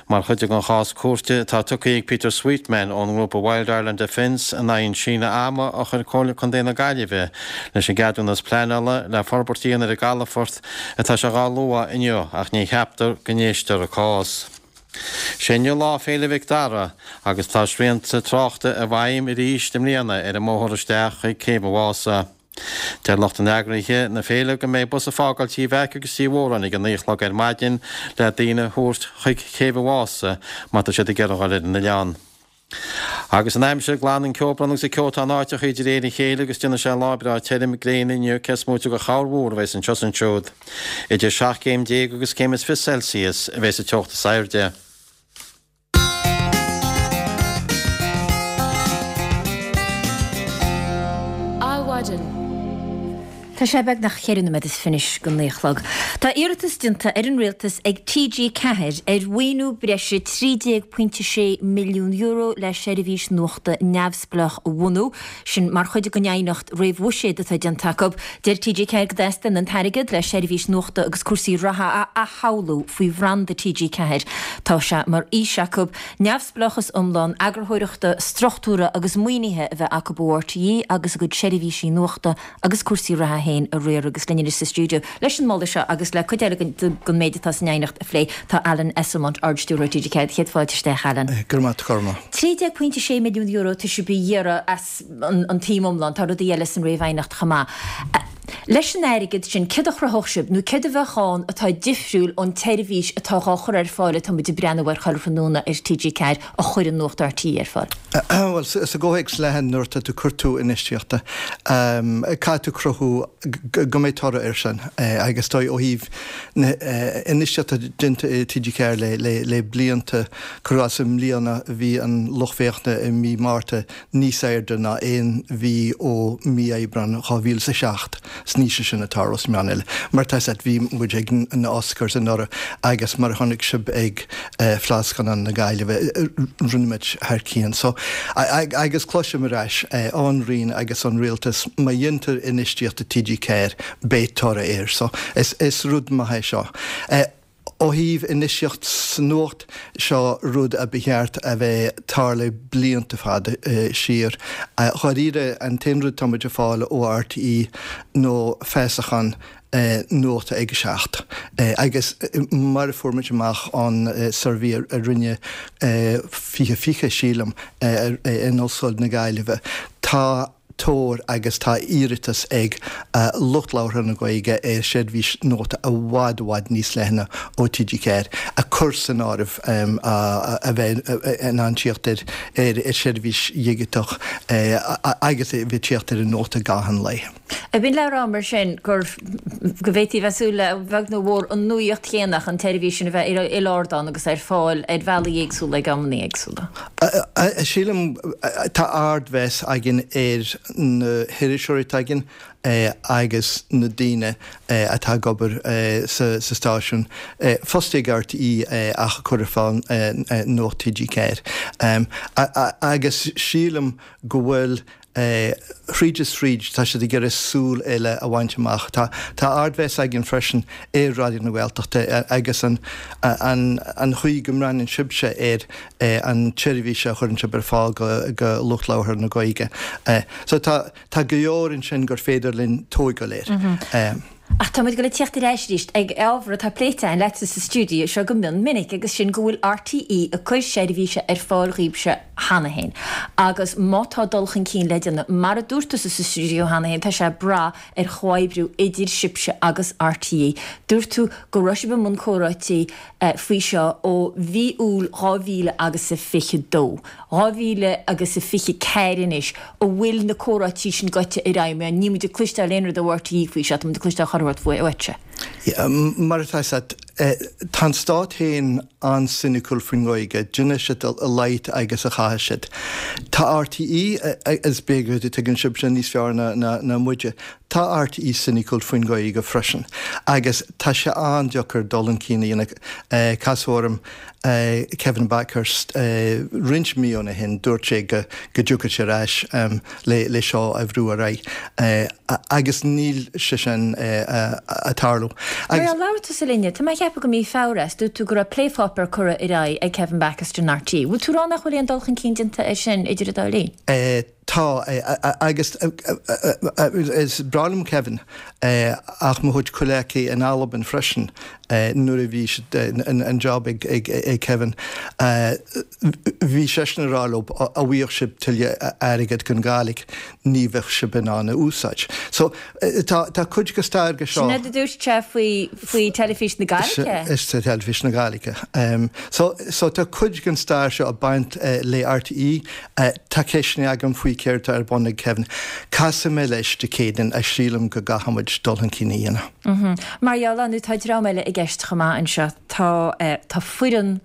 mar chuid den chás cúirte atá tugtha ag Peter Sweetman ón ngrúpa Wild Ireland Defence in aghaidh an síneadh ama a chuir Comhairle Contae na Gaillimhe leis an gceadúnas pleanála le forbairt a dhéanamh ar an gcalafort atá sé dhá lua inniu ach ní cheaptar go n-éistear an cás. Sé inniu Lá Féile Mhic Dara agus tá srianta tráchta i bhfeidhm arís i mbliana ar an mbóthar isteach chuig Céibh an Mhása. Deir lucht an eagraithe na féile go mbeidh bus ag fágáil Tí Mheaic agus Tí Mhóráin ag a 9 a chlog ar maidin le daoine a thabhairt chuig Céibh an Mhása má tá siad ag iarraidh dhul ar an oileán. Agus an aimsir, glanfaidh an ceobhrán agus an ceotán áiteachaí de réir a chéile agus déanfaidh sé lá breá tirim gréine inniu cé is móite de chorrmhúr a bheas anseo is ansiúd. Idir 17 céim agus céim is 20 Celsius a bheas an teocht is airde. Adhmhaidin. Tá sé beagnach cheithre nóiméad is fiche go 9 a chlog. Tá iarratas déanta ar an Rialtas ag TG4 ar mhaoiniú breise €13.6 milliún le seirbhís nuachta neamhspleách a bhunú. Sin mar chuid den aighneacht réamh-bhuiséid atá déanta acu. Deir TG4 go dteastaíonn an t-airgead le seirbhís nuachta agus cúrsaí reatha a athshamhlú faoi bhranda TG4. Tá sé mar fhís acu neamhspleáchas iomlán eagarthóireachta, struchtúrtha agus maoinithe a bheith acu ó RTÉ agus a gcuid seirbhísí nuachta agus cúrsaí reatha féin a riaradh agus linn anois sa stiúideo leis an moladh seo agus le cuid eile den méid atá san aighneacht a phlé tá Alan Esslemont, Ard-Stiúrthóir TG4. Chéad fáilte isteach, Alan. Go raibh maith agat, a Chormaic. €13.6 milliún tá sibh a iarraidh as an tsuim iomlán, tá rudaí eile san réamh-aighneacht chomh maith. Leis an airgead sin, céard a chruthódh sibh nó céard a bheadh ann atá difriúil ón tseirbhís atá dhá chur ar fáil atá muid ag breathnú air chuile thráthnóna ar TG4 a chuireann Nuacht RTÉ ar fáil? Bhuel, sa gcomhthéacs leathan, nuair atá tú ag cur tú infheistíochta, caithfidh tú cruthú go mbeidh toradh air sin agus dóigh ó thaobh na infheistíochta déanta i TG4 le blianta, cuir i gcás i mbliana bhí an lucht féachana i mí Márta níos airde ná aon mhí ó mí Aibreán 2007. Is ní sé sin atá sna meáin eile. Mar tá 'fhios a't, bhí muid ag na Oscars anuraidh agus mar a chonaic sibh ag Fleadh Scannán na Gaillimhe, rinne muid thar cionn. So, agus cloisim ar ais ón Roinn agus ón Rialtas, má dhéantar infheistíocht i TG4, beidh toradh air. So, is rud maith é seo. Ó thaobh infheistíocht sa nuacht, seo rud a ba cheart a bheith tarlaithe blianta fada siar. Dháiríre, an t-aon rud atá muid ag fáil ó RTÉ nó feasachán nuachta ag a 7. Agus mar a fuair muid amach ón suirbhé a rinne 2020, sílim, in Ollscoil na Gaillimhe, tá. tóir agus tá iarratas ag lucht labhartha na Gaeilge ar sheirbhís nuachta i bhfad i bhfad níos leithne ó TG4 ag cur san áireamh a bheith in ann tíocht ar sheirbhís dhigiteach agus a bheith ag tíocht ar an nuacht i gcaitheamh an lae. Ab in le rá mar sin gur go bhféadfaí a bheith ag súil le, a bheag nó a mhór, an nuaíocht chéanna ach an tseirbhís sin a bheith ar il-ardán agus ar fáil ar bhealaí éagsúla ag amanna éagsúla? Sílim, tá ardmheas againn ar na hiriseoirí atá againn agus na daoine atá ag obair sa stáisiún, fostaithe ag RTÉ ach ag cur ar fáil Nuacht TG4. Agus sílim go bhfuil Thríd is thríd, tá siad ag iarraidh súil eile a bhaint amach. Tá ardmheas againn freisin ar Raidió na Gaeltachta agus an chaoi go mbreathnaíonn sibhse ar an tseirbhís a chuireann sibh ar fáil go lucht labhartha na Gaeilge. So tá go leor ansin gur féidir linn tóigeáil air. Ach tá muid ag dul ag tíocht ar ais arís ag ábhar atá pléite againn leatsa sa stiúideo seo go mion minic agus sin go bhfuil RTÉ ag cur seirbhíse ar fáil dhaoibhse cheana féin agus má tá dul chun cinn le déanamh, mar a dúirt tusa sa stiúideo cheana féin, tá sé ag brath ar chomhoibriú idir sibhse agus RTÉ. Dúirt tú go raibh sibh i mbun comhráití faoi seo ó mhí Iúil 2000 agus a 22. 2000 agus a 24 anois, an bhfuil na comhráití sin gaibhte ar aghaidh? Mar níl muid ag cloisteáil aon rud ó RTÉ faoi seo, tá muid ag cloisteáil chuile shórt uaitse. Mar atá 'fhios a't, tá an Stát féin an-soiniciúil faoin nGaeilge, déanfaidh siad a laghad agus a chaithfidh siad. Tá RTÉ, is b'fhéidir go dtuigeann sibhse níos fearr ná muide. Tá RTÉ cynical faoin Ghaeilge freisin agus tá sé an-deacair dul chun cinn a dhéanamh. Casadh orm Kevin Bakhurst roinnt míonna ó shin, dúirt sé go dtiocfadh sé ar ais le seo a bhrú ar aghaidh agus níl sé sin ag tarlú. Nuair a labhair tusa linne, tá mé ag ceapadh go mí Feabhra, is dúirt tú go raibh plépháipéar curtha ar aghaidh ag Kevin Bakhurst in RTÉ. Bhfuil tú ag rá nach bhfuil aon dul chun cinn déanta air sin idir an dá linn? Tá, agus is breá liom Kevin, ach mo chuid comhghleacaithe in Albain freisin, nuair a bhí an job ag Kevin, bhí seisean ag rá leo, dá bhfaigheadh sibh tuilleadh airgead don Ghàidhlig, ní bheadh sibh in ann a úsáid. So, tá cuid de stair de seo. Sin rud a dúirt sé faoi faoi Teilifís na Gàidhlige? Is Teilifís na Gàidhlige. So, so tá cuid den stair seo ag baint le RTÉ. Tá ceisteanna agam faoi céard atá ar bun ag Kevin. Casfaidh mé leis Dé Céadaoin ach sílim go gcaithfidh muid dul chun cinn a dhéanamh. Mar gheall ar, nó tá dream eile i gceist chomh maith anseo. Tá, tá foireann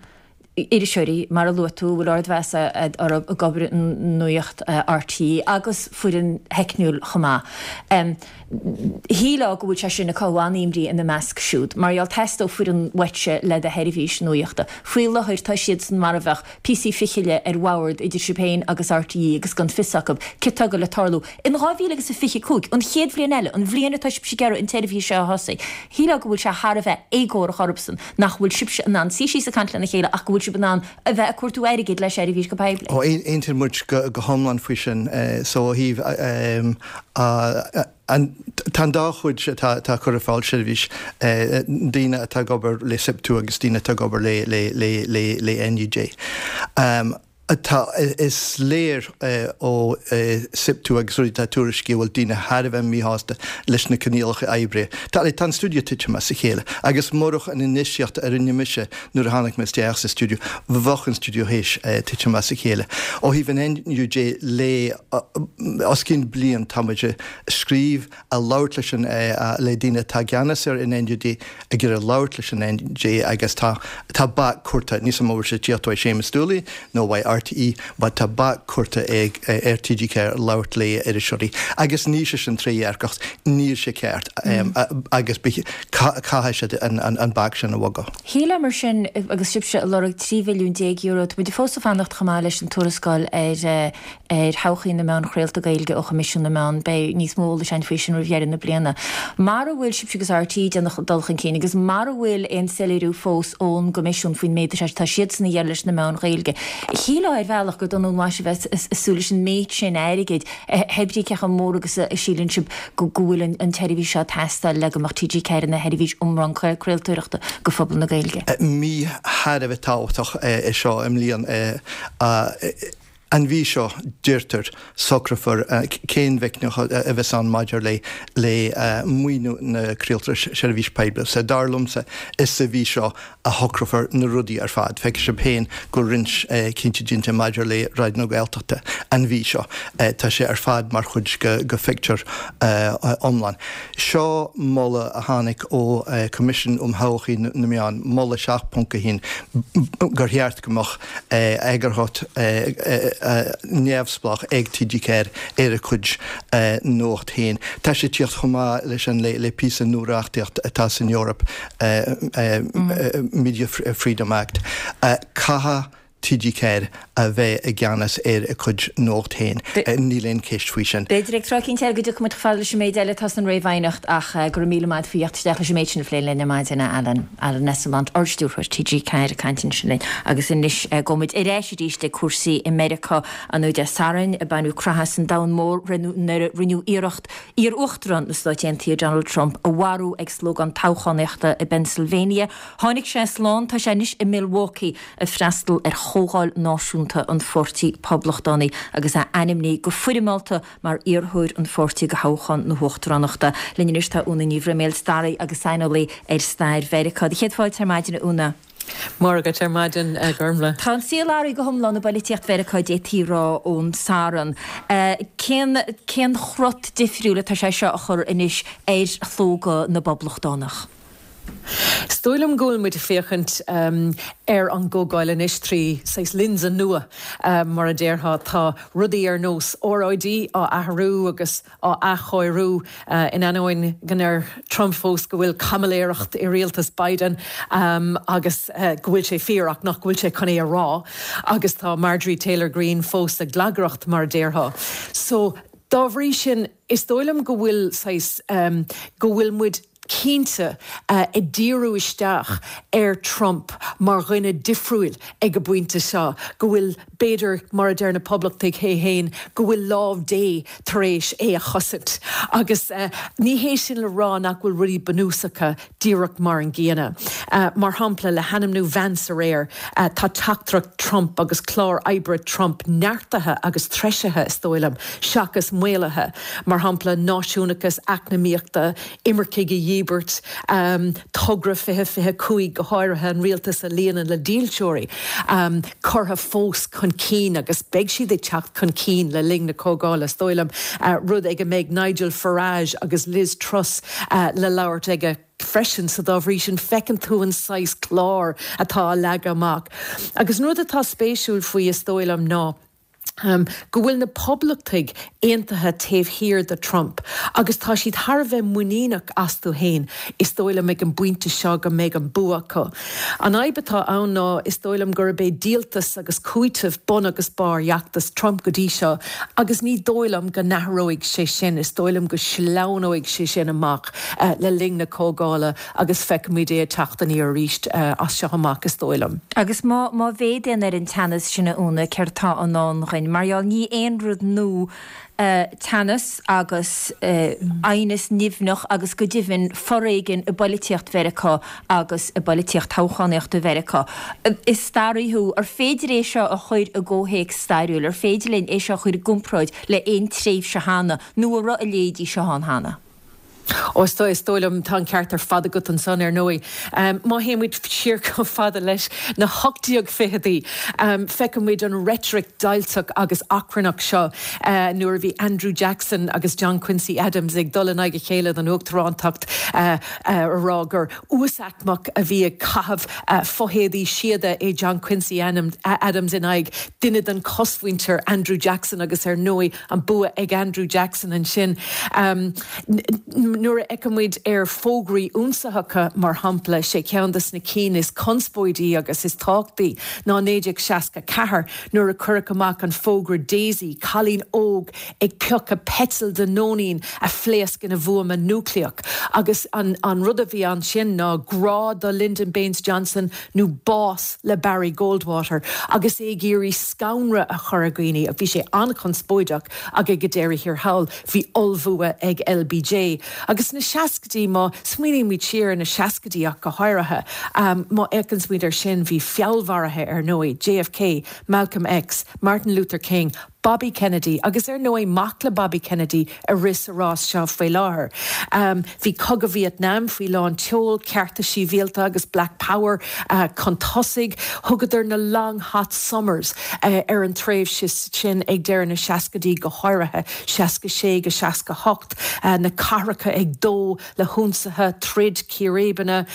iriseoirí, mar a luaigh tú, a bhfuil ardmheas orthu ag obair i Nuacht RTÉ agus foireann theicniúil chomh maith. Shílfeá go bhfuil sé sin ag cothú an-imní ina measc siúd. Mar gheall, theastódh foireann uaitse le do sheirbhís nuachta. Faoi láthair tá siadsan mar a bheadh píosaí fichille ar bhord idir sibh féin agus RTÉ agus gan fios acu céard atá ag goil le tarlú in 2025, an chéad bhliain eile, an bhliain atá sibhse ag iarraidh an tseirbhís seo a thosaí. Shílfeá go bhfuil sé thar a bheith éagórach orthusan nach bhfuil sibhse in ann suí síos ag caint lena chéile ach go bhfuil sibh in ann a bheith ag cuartú airgid le seirbhís go poiblí. Ó, aontaíonn muid go hiomlán faoi sin. So ó thaobh an, tá an dá chuid atá ag cur ar fáil seirbhís, daoine atá ag obair le SIPTU agus daoine atá ag obair le NUJ. Tá, is léir ó SIPTU agus rudaí atá tuairiscithe go bhfuil daoine thar a bheith míshásta leis na coinníollacha oibre. Tá, tá an stiúideo ag titim as a chéile agus murach an infheistíocht a rinne mise nuair a tháinig mé isteach sa stiúideo, bheadh an stiúideo théis titim as a chéile. Ó thaobh an NUJ le os cionn bliain tá muid ag scríobh, ag labhairt leis an, le daoine atá i gceannas ar an NUJ, ag iarraidh labhairt leis an NUJ agus tá, tá bac curtha, níl 's a'm an bhfuil sé ag tíocht uaidh Séamus Dooley nó uaidh RTÉ but tá bac curtha ag, ar TG4 labhairt le iriseoirí agus níl sé sin trédhearcach, níl sé ceart agus caithfidh siad an, an bac sin a bhogadh. Shílfeá mar sin, agus sibhse ag lorg €13 mhilliún, tá muid fós ag fanacht chomh maith leis an tuarascáil ar, ar thodhchaí na meán chraolta Gaeilge ó Choimisiún na Meán. Beidh níos mó eolais againn faoi sin roimh dheireadh na bliana. Mara bhfuil sibhse agus RTÉ ag déanamh dul chun cinn agus mara bhfuil aon soiléiriú fós ón gCoimisiún faoin méid atá siadsan a iarraidh leis na meáin Ghaeilge, shílfeá ar bhealach gur dona an mhaise a bheith ag súil leis an méid sin airgid, hé brí cé chomh mór agus a síleann sibh go bhfuil an tseirbhís seo ag teastáil le go mbeadh TG4 ina sheirbhís iomlán craoltóireachta do phobal na Gaeilge. Mí thar a bheith tábhachtach é seo i mbliana. An mhí seo, deirtear, socrófar cén mheicníocht a bheas ann maidir le le maoiniú na craoltóireachta seirbhís poiblí. So dar liomsa, is sa mhí seo a shocrófar na rudaí ar fad. Feicfidh sibh féin go raibh roinnt cinntí déanta maidir le Raidió na Gaeltachta an mhí seo. Tá sé ar fad mar chuid de phictiúr iomlán. Seo moladh a tháinig ó Coimisiún um Thodhchaí na Meán, moladh 7.1, gur cheart go mbeadh eagarthóir neamhspleách ag TG4 ar a cuid nuacht féin. Tá sé ag tíocht chomh maith leis an le píosa nua reachtaíocht atá san Eoraip, Media Freedom Act. Caithfidh TG4 a bheith i gceannas ar a cuid nuacht féin. Níl aon cheist faoi sin. B'fhéidir ag tráth eicínt eile go dtiocfaidh muid chomh fada leis an méid eile atá san réamhaighneacht ach go raibh míle maith agat faoi theacht isteach leis an méid sin a phlé linn ar maidin, a Alan. Alan Esslemont, Ardstiúrthóir TG4 ag caint ansin linn. Agus anois gabhfaidh muid ar ais arís ag cúrsaí i Meiriceá. An Dé Sathairn baineadh creathadh as an domhan mór nuair a rinneadh iarracht iar-uachtarán na Stáit Aontaithe Donald Trump a mharú ag slógán toghchánaíochta i bPennsylvania. Tháinig sé slán, tá sé anois i Milwaukee ag freastal ar chomhdháil náisiúnta an Pháirtí Poblachtánaigh agus é ainmnithe go foirmeálta mar iarrthóir an pháirtí do thoghchán na huachtaránachta. Linn anois tá Úna Ní Bhroiméil, staraí agus saineolaí ar stair Mheiriceá. Do chéad fáilte ar maidin, a Úna. Móra dhuit ar maidin, a Ghormfhlaith. Tá an saol athraithe go hiomlán i bpoilitíocht Mheiriceá, d'fhéadfaí a rá, ón Satharn. Cén, cén crot difriúil atá sé seo a chur anois ar shlógadh na bPoblachtánach? Is. dóigh liom go bhfuil muid ag féachaint ar an gcomhdháil anois trí saghas lionsa nua, mar a déarfá. Tá rudaí ar nós óráidí á athrú agus á athchóiriú, in ainneoin go ndeir Trump fós go bhfuil caimiléireacht i rialtas Biden agus go bhfuil sé fíor ach nach bhfuil sé chun é a rá. Agus tá Marjorie Taylor Greene fós ag glagaireacht, mar a déarfá. So, dá bhrí sin, is dóigh liom go bhfuil saghas, go bhfuil muid cinnte ag díriú isteach ar Trump mar dhuine difriúil ag an bpointe seo, go bhfuil, b'fhéidir, mar a deir na Poblachtaigh é féin, go bhfuil lámh Dé tar éis é a chosaint. Agus ní hé sin le rá nach bhfuil rudaí bunúsacha díreach mar an gcéanna. Mar shampla, le hainmniú Vance aréir, tá teachtaireacht Trump agus clár oibre Trump neartaithe agus treisithe, is dóigh liom, seachas maolaithe. Mar shampla, náisiúnachas eacnamaíochta, imircigh a dhíbirt, togra 2025 go háirithe, an rialtas a líonadh le dílseoirí, curtha fós chun cinn agus beidh siad ag teacht chun cinn le linn na comhdhála, is dóigh liom, rud ag a mbeidh Nigel Farage agus Liz Truss le labhairt aige freisin. So dá bhrí sin feiceann tú an saghas clár atá á leagadh amach. Agus an rud atá spéisiúil faoi, is dóigh liom, ná go bhfuil na Poblachtaigh aontaithe taobh thiar de Trump agus tá siad thar a bheith muiníneach astu féin, is dóigh liom, ag an bpointe seo go mbeidh an bua acu. An fhadhb atá ann ná, is dóigh liom, gurb é díoltas agus cúiteamh bun agus barr fheachtas Trump go dtí seo agus ní dóigh liom go n-athróidh sé sin, is dóigh liom go sleamhnóidh sé sin amach le linn na comhdhála agus feicfimid é ag teacht aniar arís as seo amach, is dóigh liom. Agus má mhéadaíonn ar an teannas sin, a Úna, céard atá i ndán dhuinn? Mar gheall, ní aon rud nua teannas agus aighneas nimhneach agus go deimhin foréigean i bpoilitíocht Mheiriceá agus i bpoilitíocht toghchánaíochta Mheiriceá. Is staraí thú, ar féidir é seo a chur i gcomhthéacs stairiúil? Ar féidir linn é seo a chur i gcomparáid le haon tréimhse cheana nó an raibh a leithéidí seo ann cheana? Ó, is dóigh, is dóigh liom, tá an ceart ar fad agat ansan, ar ndóigh. Má théann muid siar chomh fada leis na 1820idí, feiceann muid an reitric deighilteach agus achrannach seo nuair a bhí Andrew Jackson agus John Quincy Adams ag dul in aghaidh a chéile don uachtarántacht, a rá gur uasaicmeach a bhí ag caitheamh fothéadaí síoda é John Quincy Adams in aghaidh duine den chosmhuintir, Andrew Jackson, agus ar ndóigh, An bua ag Andrew Jackson ansin. Nuair a fheiceann muid ar fógraí ionsaitheacha, mar shampla, sé ceann de na cinn is conspóidí agus is tábhachtaí ná 1964 nuair a cuireadh amach an fógra Daisy, cailín óg ag piocadh peiteal de nóinín a phléasc ina bhuama núicléach. Agus an rud a bhí ansin ná grá do Lyndon Baines Johnson nó bás le Barry Goldwater agus é ag iarraidh scanradh a chur ar dhaoine. Bhí sé an-chonspóideach ach ag an deireadh thiar thall bhí ollbhua ag LBJ. Agus sna seascaidí, má smaoinímid siar ar na seascaidí ach go háirithe, má fhéachanns muid air sin, bhí feallmharaithe ar ndóigh, JFK, Malcolm X, Martin Luther King, Bobby Kennedy agus ar ndóigh mac le Bobby Kennedy ag rith sa rás seo faoi láthair. Bhí Cogadh Vítneam faoi lán tseoil, cearta sibhialta agus Black Power chun tosaigh. Thugadar na Long Hot Summers ar an tréimhse sin ag deireadh na seascaidí, go háirithe 66-68, na cathracha ag dó le hionsaithe, troid, círéibeanna.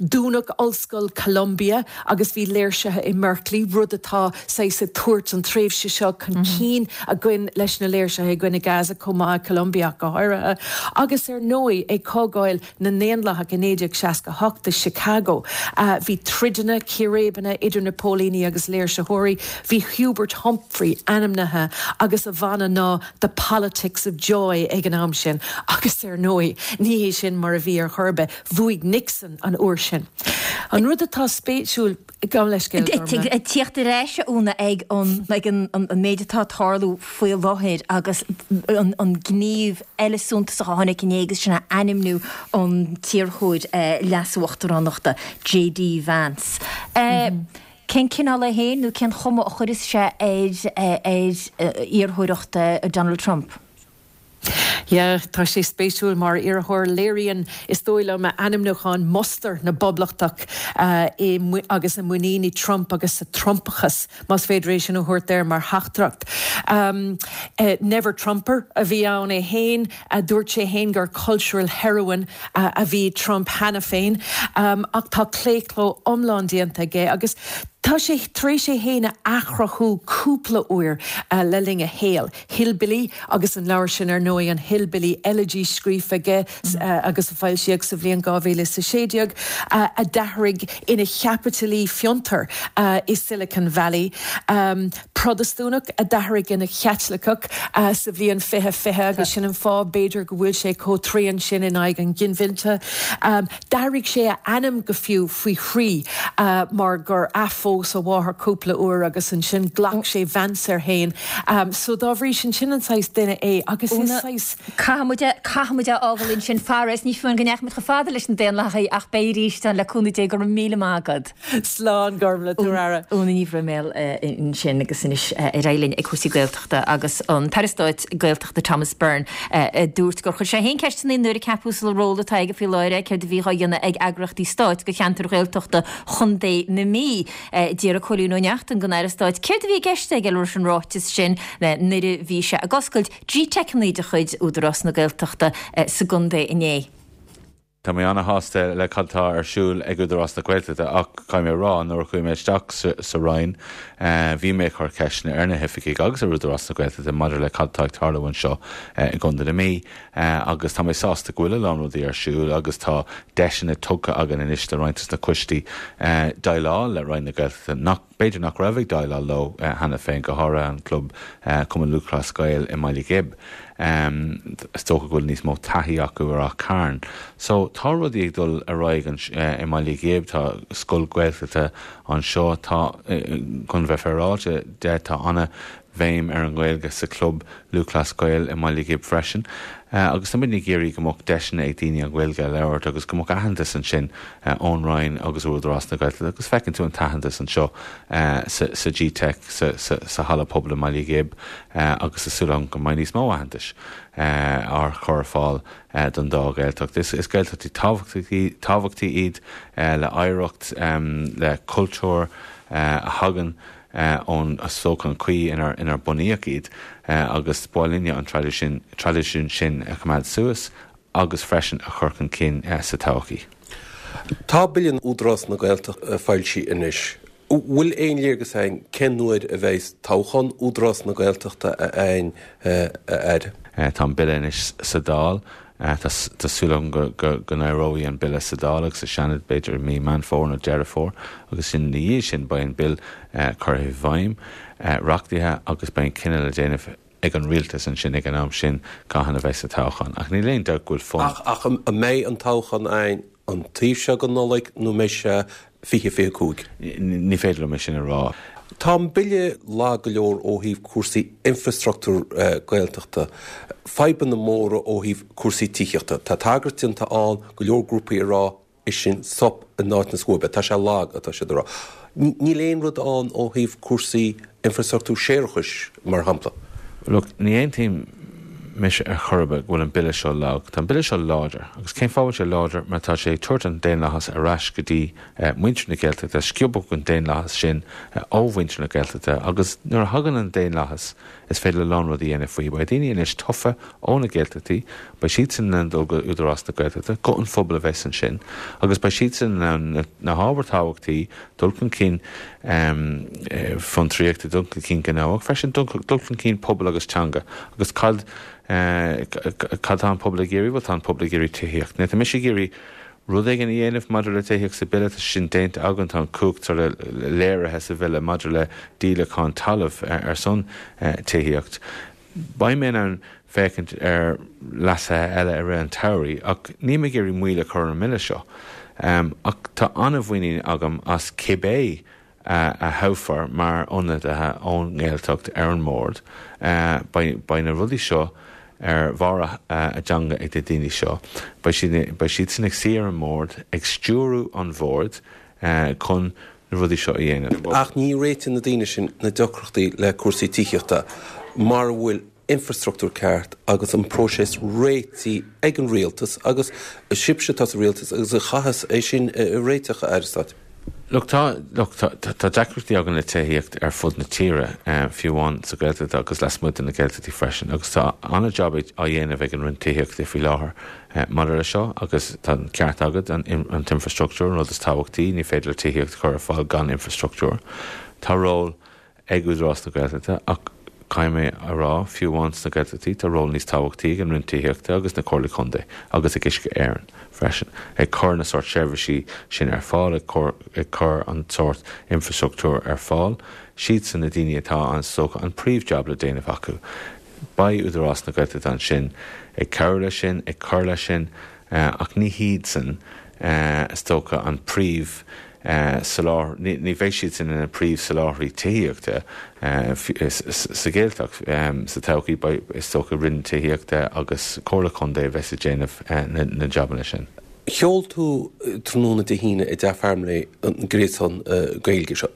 Dúnadh Ollscoil Columbia agus bhí léirsithe i mBerkeley, rud atá saghas ag tabhairt an tréimhse seo chun cinn againn leis na léirsithe i gcoinne Gaza chomh maith, i Columbia ach go háirithe. Agus ar ndóigh ag Comhdháil na nDaonlathach i 1968 i Chicago bhí troideanna, círéibeanna idir na póilíní agus léirsitheoirí. Bhí Hubert Humphrey ainmnithe agus a mhana ná The Politics of Joy ag an am sin agus ar ndóigh ní hé sin mar a bhí ar chor ar bith, bhuaigh Nixon an uair sin. An rud atá spéisiúil, gabh leithscéal, Gormlaith. Ag tíocht ar ais, a Úna, ag an ag an méid atá ag tarlú faoi láthair agus an gníomh eile suntasach a tháinig inné agus sin é ainmniú an t-iarrthóir leas-uachtaránachta, JD Vance. Cén cineál é féin nó cén chuma a chuirfeas sé ar ar iarrthóireacht Donald Trump? Yeah, tá sé spéisiúil mar iarrthóir. Léiríonn, is dóigh liom, a ainmniúchán mustar na bPoblachtach i agus a muinín i Trump agus sa Trumpachas, más féidir é sin a thabhairt air mar theachtaireacht. Never Trumper a bhí ann é féin. Dúirt sé féin gur cultural heroine a bhí i Trump cheana féin. Ach tá claochló iomlán déanta aige agus tá sé tar éis é féin a athchruthú cúpla uair le linn a shaoil. Hillbilly agus an leabhar sin ar ndóigh, an Hillbilly Elegy scríofa aige agus a foilsíodh sa bhliain 2016, a d'athraigh ina chaipitilí fiontair i Silicon Valley, Protastúnach a d'athraigh ina Chaitliceach sa bhliain 2020 agus sin an fáth b'fhéidir go bhfuil sé chomh tréan sin in aghaidh an ghinmhillte. D'athraigh sé a ainm go fiú faoi thrí mar gur athphós a mháthair cúpla uair agus ansin ghlac sé Vance air féin. So dá bhrí sin, sin an saghas duine é agus is saghas. Caithfidh muid é, caithfidh muid é a fhágáil ansin faraor. Ní fiú amháin go ndeachaigh muid chomh fada leis na Daonlathaithe ach beidh arís ann le cúnamh Dé. Go raibh míle maith agat. Slán, Gormlaith, tabhair aire. Úna Ní Bhroiméil ansin agus anois ar aghaidh linn ag cúrsaí Gaeltachta agus an tAire Stáit Gaeltachta Thomas Byrne a dúirt gur chuir sé féin ceisteanna nuair a ceapadh sa ról atá aige faoi láthair é céard a bhí á dhéanamh ag eagraíochtaí stáit do cheantair Ghaeltachta Chontae na Mí. D'iarr Cóilín Ó Neachtain den Aire Stáit céard a bhí i gceist aige leis an ráiteas sin nuair a bhí sé ag oscailt GTeiceanna de chuid Údarás na Gaeltachta sa gcontae inné. Tá mé ana-shásta le cad tá ar siúl ag Údarás na Gaeltachta ach caithfidh mé a rá, nuair a chuaigh mé isteach sa Roinn, bhí mé ag cur ceisteanna ar na hoifigigh agus ar Údarás na Gaeltachta maidir le cad tá ag tarlú anseo i gContae na Mí agus tá mé sásta go bhfuil a lán rudaí ar siúl agus tá deiseanna tugtha againn anois do roinnt des na coistí déileáil le Roinn na Gaeltachta nach b'fhéidir nach raibh ag déileáil leo cheana féin, go háirithe an club Cumann Lúthchleas Gael i mBaile Ghib. Is dócha go bhfuil níos mó taithí acu ar Áth Cairn. So, tá rudaí ag dul ar aghaidh i mBaile Ghib, tá scoil Ghaeltachta anseo, tá, chun bheith féaráilte de, tá ana bhéim ar an nGaeilge sa chlub Lúthchleas Gael i mBaile Ghib freisin. Agus tá muidne ag iarraidh go mbeadh deiseanna ag daoine an Ghaeilge a labhairt agus go mbeadh aitheantas ansin ón Roinn agus ó Údarás na Gaeltachta agus feiceann tú an t-aitheantas anseo sa G-Teic, sa halla pobail i mBaile Ghib agus tá súil agam go mbeidh níos mó aitheantais á chur ar fáil don dá Ghaeltacht. Is Gaeltachtaí tábhachtaí iad le hoidhreacht, le cultúr a thagann ón, is dócha, an chaoi inar bunaíodh iad agus ba mhaith linne an traidisiún sin a choimeád suas agus freisin a chur chun cinn sa todhchaí. Tá Bille Údarás na Gaeltachta foilsithe anois. Bhfuil aon léargas againn cén uair a bheidh toghchán Údarás na Gaeltachta againn, a Aire? Tá an Bille anois sa Dáil. Tá súil agam go n-éireoidh an Bille sa Dáil agus sa Seanad b'fhéidir i mí Meán Fómhair nó Deireadh Fómhair agus ina dhiaidh sin beidh an Bille curtha i bhfeidhm, reachtaithe agus beidh an cinneadh le déanamh ag an Rialtas ansin ag an am sin cathain a bheas an toghchán. Ach níl aon dabht go bhfuil fonn. Ach an mbeidh an toghchán againn an taobh seo den Nollaig nó an mbeidh sé 2025? Ní féidir liom é sin a rá. Tá an Bille lag go leor ó thaobh cúrsaí infreastruchtúr Gaeltachta, fadhbanna móra ó thaobh cúrsaí tithíochta. Tá tagairt déanta ann, go leor grúpaí ag rá is sin sop in áit na scuaibe. Tá sé lag, atá siad ag rá. Níl aon rud ann ó thaobh cúrsaí infreastruchtúr séarachais, mar shampla. Look, ní aontaím mise ar chor ar bith go bhfuil an Bille seo lag. Tá an Bille seo láidir. Agus cén fáth a bhfuil sé láidir? Mar tá sé ag tabhairt an daonlathas ar ais go dtí muintir na Gaeltachta. Sciobadh an daonlathas sin ó mhuintir na Gaeltachta agus nuair a thagann an daonlathas is féidir a lán rudaí a dhéanamh faoi. Beidh daoine anois tofa ó na Gaeltachtaí, beidh siadsan in ann dul go Údarás na Gaeltachta, guth an phobail a bheas ansin agus beidh siadsan in ann na hábhair tábhachtaí, dul chun cinn fiontraíochta, dul chun cinn gnó ach freisin dul chun cinn pobail agus teanga. Agus cad cad tá an pobal ag iarraidh? Bhuel tá an pobal ag iarraidh tithíocht. Now tá mise ag iarraidh rud éigin a dhéanamh maidir le tithíocht sa bhille, tá sé sin déanta againn, tá an cumhacht sort of léirithe sa bhille maidir le díolachán talaimh ar son tithíocht. Beidh mé in ann féachaint ar leasuithe eile i rith an tsamhraidh ach níl mé ag iarraidh moill a chur ar an mBille seo. Ach tá an-mhuinín agam as cibé a thoghfar mar ionadaithe ón nGaeltacht ar an mbord. Beidh na rudaí seo ar bharr a dteanga ag na daoine seo. Beidh siadsan ag suí ar an mbord, ag stiúrú an bhoird chun na rudaí seo a dhéanamh. Ach ní réiteoidh na daoine sin na deacrachtaí le cúrsaí tithíochta mar a bhfuil. infrastruchtúr ceart agus an próiseas réitithe ag an rialtas agus sibhse atá sa rialtas agus a chaitheas é sin a réiteach, a Aire Stáit. Look, tá, look, tá, tá deacrachtaí againn le tithíocht ar fud na tíre, fiú amháin sa Ghaeltacht agus lasmuigh de na Gaeltachtaí freisin, agus tá an-jab á dhéanamh ag an Roinn Tithíochta faoi láthair maidir leis seo agus tá an ceart agat, an, an t-infrastruchtúr an rud is tábhachtaí, ní féidir le tithíocht a chur ar fáil gan infrastruchtúr. Tá ról. ag Údarás na Gaeltachta ach caithfidh mé a rá, fiú amháin sna Gaeltachtaí, tá ról níos tábhachtaí ag an Roinn Tithíochta agus na Comhairlí Contae agus ag Uisce Éireann freisin, ag cur na sórt seirbhísí sin ar fáil, ag cur ag cur an sórt infrastruchtúr ar fáil. Siadsan na daoine atá, is dócha, an príomh-jab le déanamh acu. Beidh Údarás na Gaeltachta ansin ag cabhrú leis sin, ag cur leis sin, ach ní hiadsan, is dócha, an príomh soláthar, ní bheidh siadsan ina príomh-soláthraí tithíochta sa Ghaeltacht sa todhchaí, beidh, is dócha, Roinn Tithíochta agus Comhairle Contae a bheas ag déanamh na jabanna sin. Sheol tú tráthnóna Dé hAoine i dTeach Farmleigh an gréasán Gaeilge seo.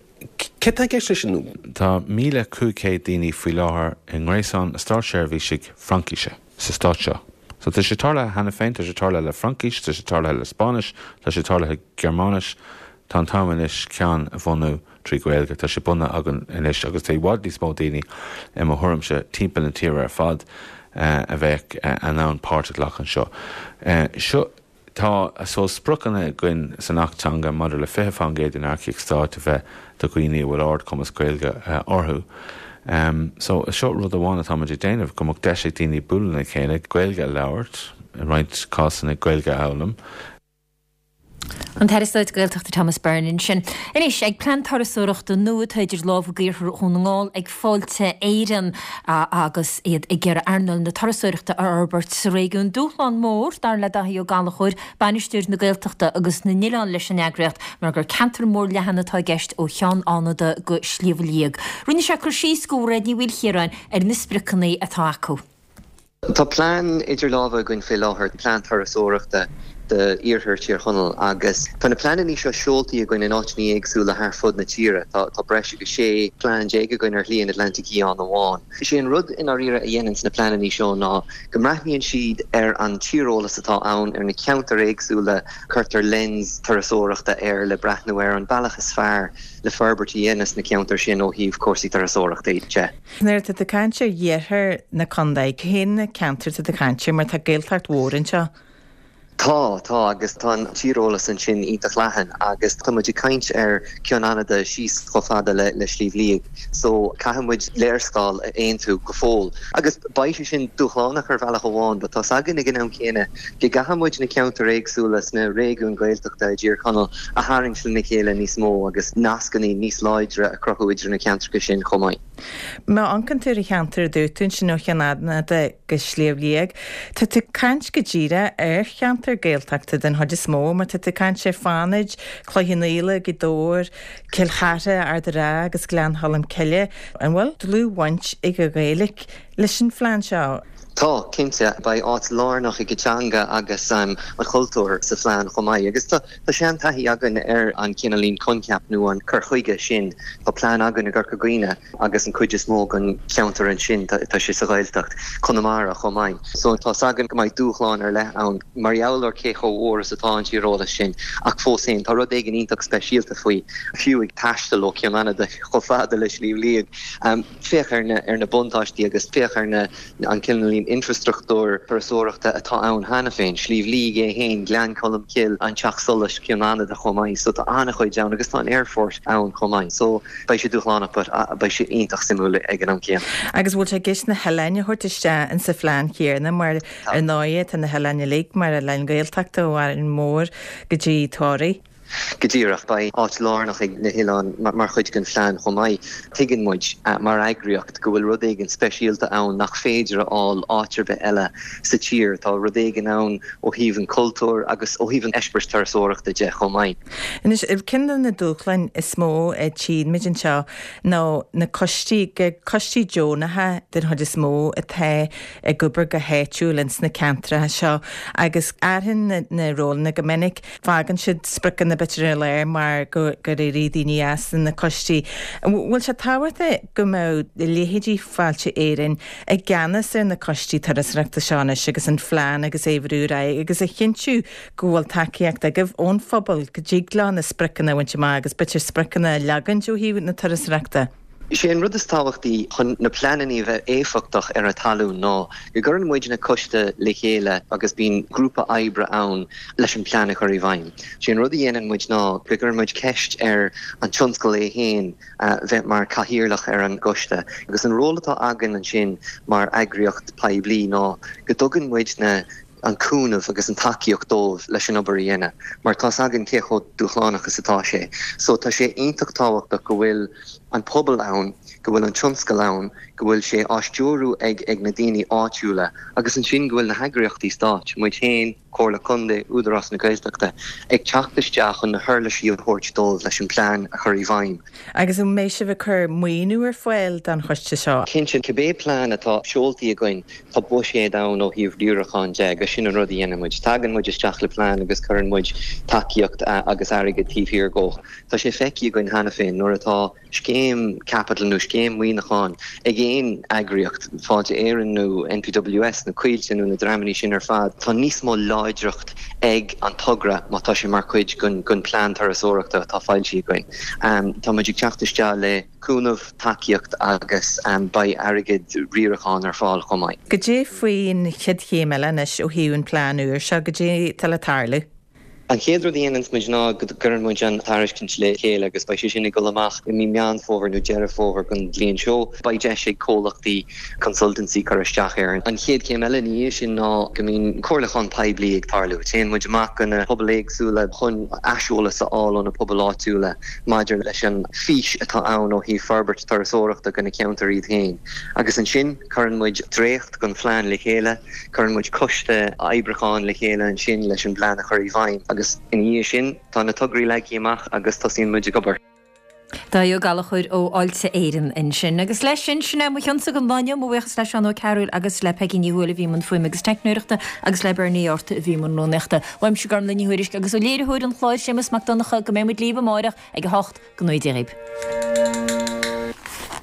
Céard tá i gceist leis sin? Tá 1,500 daoine faoi láthair i ngréasán na státseirbhísigh Fraincíse sa stát seo. So tá sé tarlaithe cheana féin, tá sé tarlaithe le Fraincis, tá sé tarlaithe le Spáinnis, tá sé tarlaithe Gearmáinis. Tá an t-am anois ceann a bhunú trí Ghaeilge. Tá sé bunaithe againn anois agus tá i bhfad níos mó daoine, i mo thuairimse, timpeall na tíre ar fad a bheadh in ann páirt a ghlacadh anseo. Seo. Tá, so, spriocanna againn san Acht Teanga maidir le 20% den earcaíocht stáit a bheith do dhaoine a bhfuil ardchumas Gaeilge orthu. So, seo rud amháin atáimid ag déanamh, go mbeadh deis ag daoine bualadh lena chéile, Gaeilge a labhairt, i roinnt cásanna Gaeilge a fhoghlaim. An tAire Stáit Gaeltachta Thomas Byrne ansin. Anois, ag plean turasóireachta nua atá idir lámha ag Iarthar Dhún na nGall ag Fáilte Éireann agus iad ag iarraidh earnáil na turasóireachta a fhorbairt sa réigiún. Dúshlán mór, dar le Daithí Ó Gallchóir, Bainisteoir na Gaeltachta agus na nOileán leis an eagraíocht, mar gur ceantar mór leathan atá i gceist ó Cheann Fhánada go Sliabh Liag. Rinne sé cur síos do Mhairéad Ní Mhaoilchiaráin ar na spriocanna atá acu. Tá plean idir lámha againn faoi láthair, plean turasóireachta d'iarthar Thír Chonaill agus tá na pleananna seo seoltaí againn in áiteanna éagsúla thar fud na tíre. Tá breis agus 16 plean againn ar Shlí an Atlantaigh Fhiáin amháin. Is é an rud i ndáiríre a dhéananns na pleananna seo ná go mbreathnaíonn siad ar an tíreolas atá ann, ar na ceantair éagsúla, cuirtear lens turasóireachta air le breathnú ar an bealach is fearr le forbairt a dhéanamh sna ceantair sin ó thaobh cúrsaí turasóireachta de. Nuair atá tú ag caint ar iarthar na contae, cén ceantar atá tú ag caint air mar tá Gaeltacht mhór anseo? Tá, tá, agus tá an tíreolas ansin iontach leathan agus tá muid ag caint ar Ceann Fhanada síos chomh fada le le Sliabh Liag so caithfidh muid léarscáil a aontú go fóill agus beidh sé sin dúshlánach ar bhealach amháin but tá's againn ag an am céanna go gcaithfidh muid na ceantair éagsúla sna réigiúin Ghaeltachta i dTír Chonaill a tharraingt lena chéile níos mó agus nascanna níos láidre a chruthú idir na ceantracha sin chomh maith. Má amharcann tú ar an cheantar a dúirt tú ansin ó Cheann Fhanada go Sliabh Liag, tá tú ag caint go díreach ar cheantar Gaeltachta den chuid is mó mar tá tú ag caint ar Fánaid, Cloich Cheann Fhaola, Gaoth Dobhair, Cill Chartha, Ard an Rátha agus Gleann Cholm Cille. An bhfuil dlúthbhaint ag an Ghaeilge leis an phlean seo? Tá, cinnte. Beidh áit lárnach ag an teanga agus an cultúr sa phlean chomh maith. Agus tá seantaithí againn ar an cineáilín coincheap nó an cur chuige sin. Tá plean againn i gCorca Dhuibhne agus an cuid is mó den cheantar ansin, tá sé sa Ghaeltacht. Conamara chomh maith. So tá's againn go mbeidh dúshláin ar leith ann mar gheall ar cé chomh mhór is atá an tíreolas sin. Ach fós féin, tá rud éigin iontach speisialta faoi, fiú ag taisteal ó Cheann Fhanada chomh fada le Sliabh Liag. Féach ar na ar na buntáistí agus féach ar na an cineáilín infreastruchtúr turasóireachta atá ann cheana féin, Sliabh Liag é féin, Gleann Cholm Cille, an Teach Solais, Cionn Fhanada chomh maith. So tá an-chuid ann agus tá an aerfort ann chomh maith. So beidh sé dúshlánach but beidh sé iontach suimiúil ag an am céanna. Agus bhfuil sé i gceist na hoileáin a thabhairt isteach insa phlean chéanna mar ar ndóighe tá na hoileáin uilig mar oileáin Ghaeltachta ó Árainn Mhór go dtí Toraigh. Go díreach. Beidh áit lárnach ag na hoileáin mar chuid den phlean chomh maith. Tuigeann muid, mar eagraíocht, go bhfuil rud éigin speisialta ann nach féidir a fháil áit ar bith eile sa tír. Tá rud éigin ann ó thaobh an chultúir agus ó thaobh an eispéiris turasóireachta de chomh maith. Anois, ceann de na dúshláin is mó a tchíonn muid anseo ná na coistí, coistí deonacha den chuid is mó atá ag obair go háitiúil ins na ceantracha seo agus athraíonn na rólanna go minic. Fágann siad spriocanna. b'fhéidir ar lár mar gur éirigh daoine as na coistí. An bhfuil sé tábhachtach go mbeadh leithéidí Fáilte Éireann i gceannas ar na coistí turasóireachta seo anois agus an phlean agus é a bhrú ar aghaidh agus a chinntiú go bhfuil tacaíocht agaibh ón phobal go dtig leo na spriocanna a bhaint amach agus b'fhéidir spriocanna a leagaint ó thaobh na turasóireachta? Is é an rud is tábhachtaí chun na pleananna a bheith éifeachtach ar an talún ná go gcuireann muidne coiste le chéile agus bíonn grúpa oibre ann leis an plean a chur i bhfeidhm. Sé an rud a dhéanann muid ná go gcuireann muid ceist ar an tionscal é féin bheith mar cathaoirleach ar an gcoiste agus an ról atá againn ansin mar eagraíocht poiblí ná go dtugann muidne an cúnamh agus an tacaíocht dóibh leis an obair a dhéanamh mar tá's againn cé chomh dúshlánach is atá sé. So tá sé iontach tábhachtach go bhfuil an pobal ann, go bhfuil an tionscal ann, go bhfuil sé á stiúrú ag ag na daoine áitiúla agus ansin go bhfuil na heagraíochtaí stáit, muid féin, Comhairle Contae, Údarás na Gaeltachta, ag teacht isteach chun na huirlisí a thabhairt dóibh leis an plean a chur i bhfeidhm. Agus an mbeidh sibh ag cur maoiniú ar fáil don choiste seo? Cinnte, cibé plean atá seoltaí againn, tá buiséad ann ó thaobh riaracháin de agus sin an rud a dhéanann muid. Tagann muid isteach le plean agus cuireann muid tacaíocht agus airgead taobh thiar dhó. Tá sé feicthe againn cheana féin nuair atá scéim caipitil nó scéim maoiniúcháin ag aon eagraíocht, Fáilte Éireann nó NPWS nó Coillte nó na dreamanna sin ar fad, tá níos mó láidreacht ag an togra má tá sé mar chuid den plean turasóireachta atá foilsithe againn. Tá muid ag teacht isteach le cúnamh, tacaíocht agus beidh airgead riaracháin ar fáil chomh maith. Goidé faoin chéad chéim eile anois ó thaobh an plean úr seo, goidé atá le tarlú? An chéad rud a dhéananns muid ná go gcuireann muid an tairiscint le chéile agus beidh sé sin ag dul amach i mí Meán Fómhair nó Deireadh Fómhair den bhliain seo. Beidh deis ag comhlachtaí consultancy cur isteach air. An chéad chéim eile ina dhiaidh sin ná go mbíonn comhairliúchán poiblí ag tarlú. Téann muid amach go na pobail éagsúla chun aiseolas a fháil ó na pobail áitiúla maidir leis an bhfís atá ann ó thaobh forbairt turasóireachta do na ceantair iad féin. Agus ansin cuireann muid dréacht den phlean le chéile. Cuireann muid coiste oibriúcháin le chéile ansin leis an bplean a chur i bhfeidhm agus ina dhiaidh sin tá na tograí leagtha amach agus tosaíonn muid ag obair. Dáithí Ó Gallchóir ó Fháilte Éireann ansin. Agus leis sin, sin é mo chionsa don lá inniu. Mo bhuíochas le Seán Ó Cearúil agus le Peigí Ní Thuathail a bhí i mbun fuaime agus teicneoireachta agus le Bernie Arthur a bhí i mbun rúnaíochta. Uaimse Gormlaith Ní Thuairisg agus ó léiritheoir an chláir Séamus Mac Donncha go mbeidh muid libh amárach ag 8. Go ngnóthaí Dia dhaoib.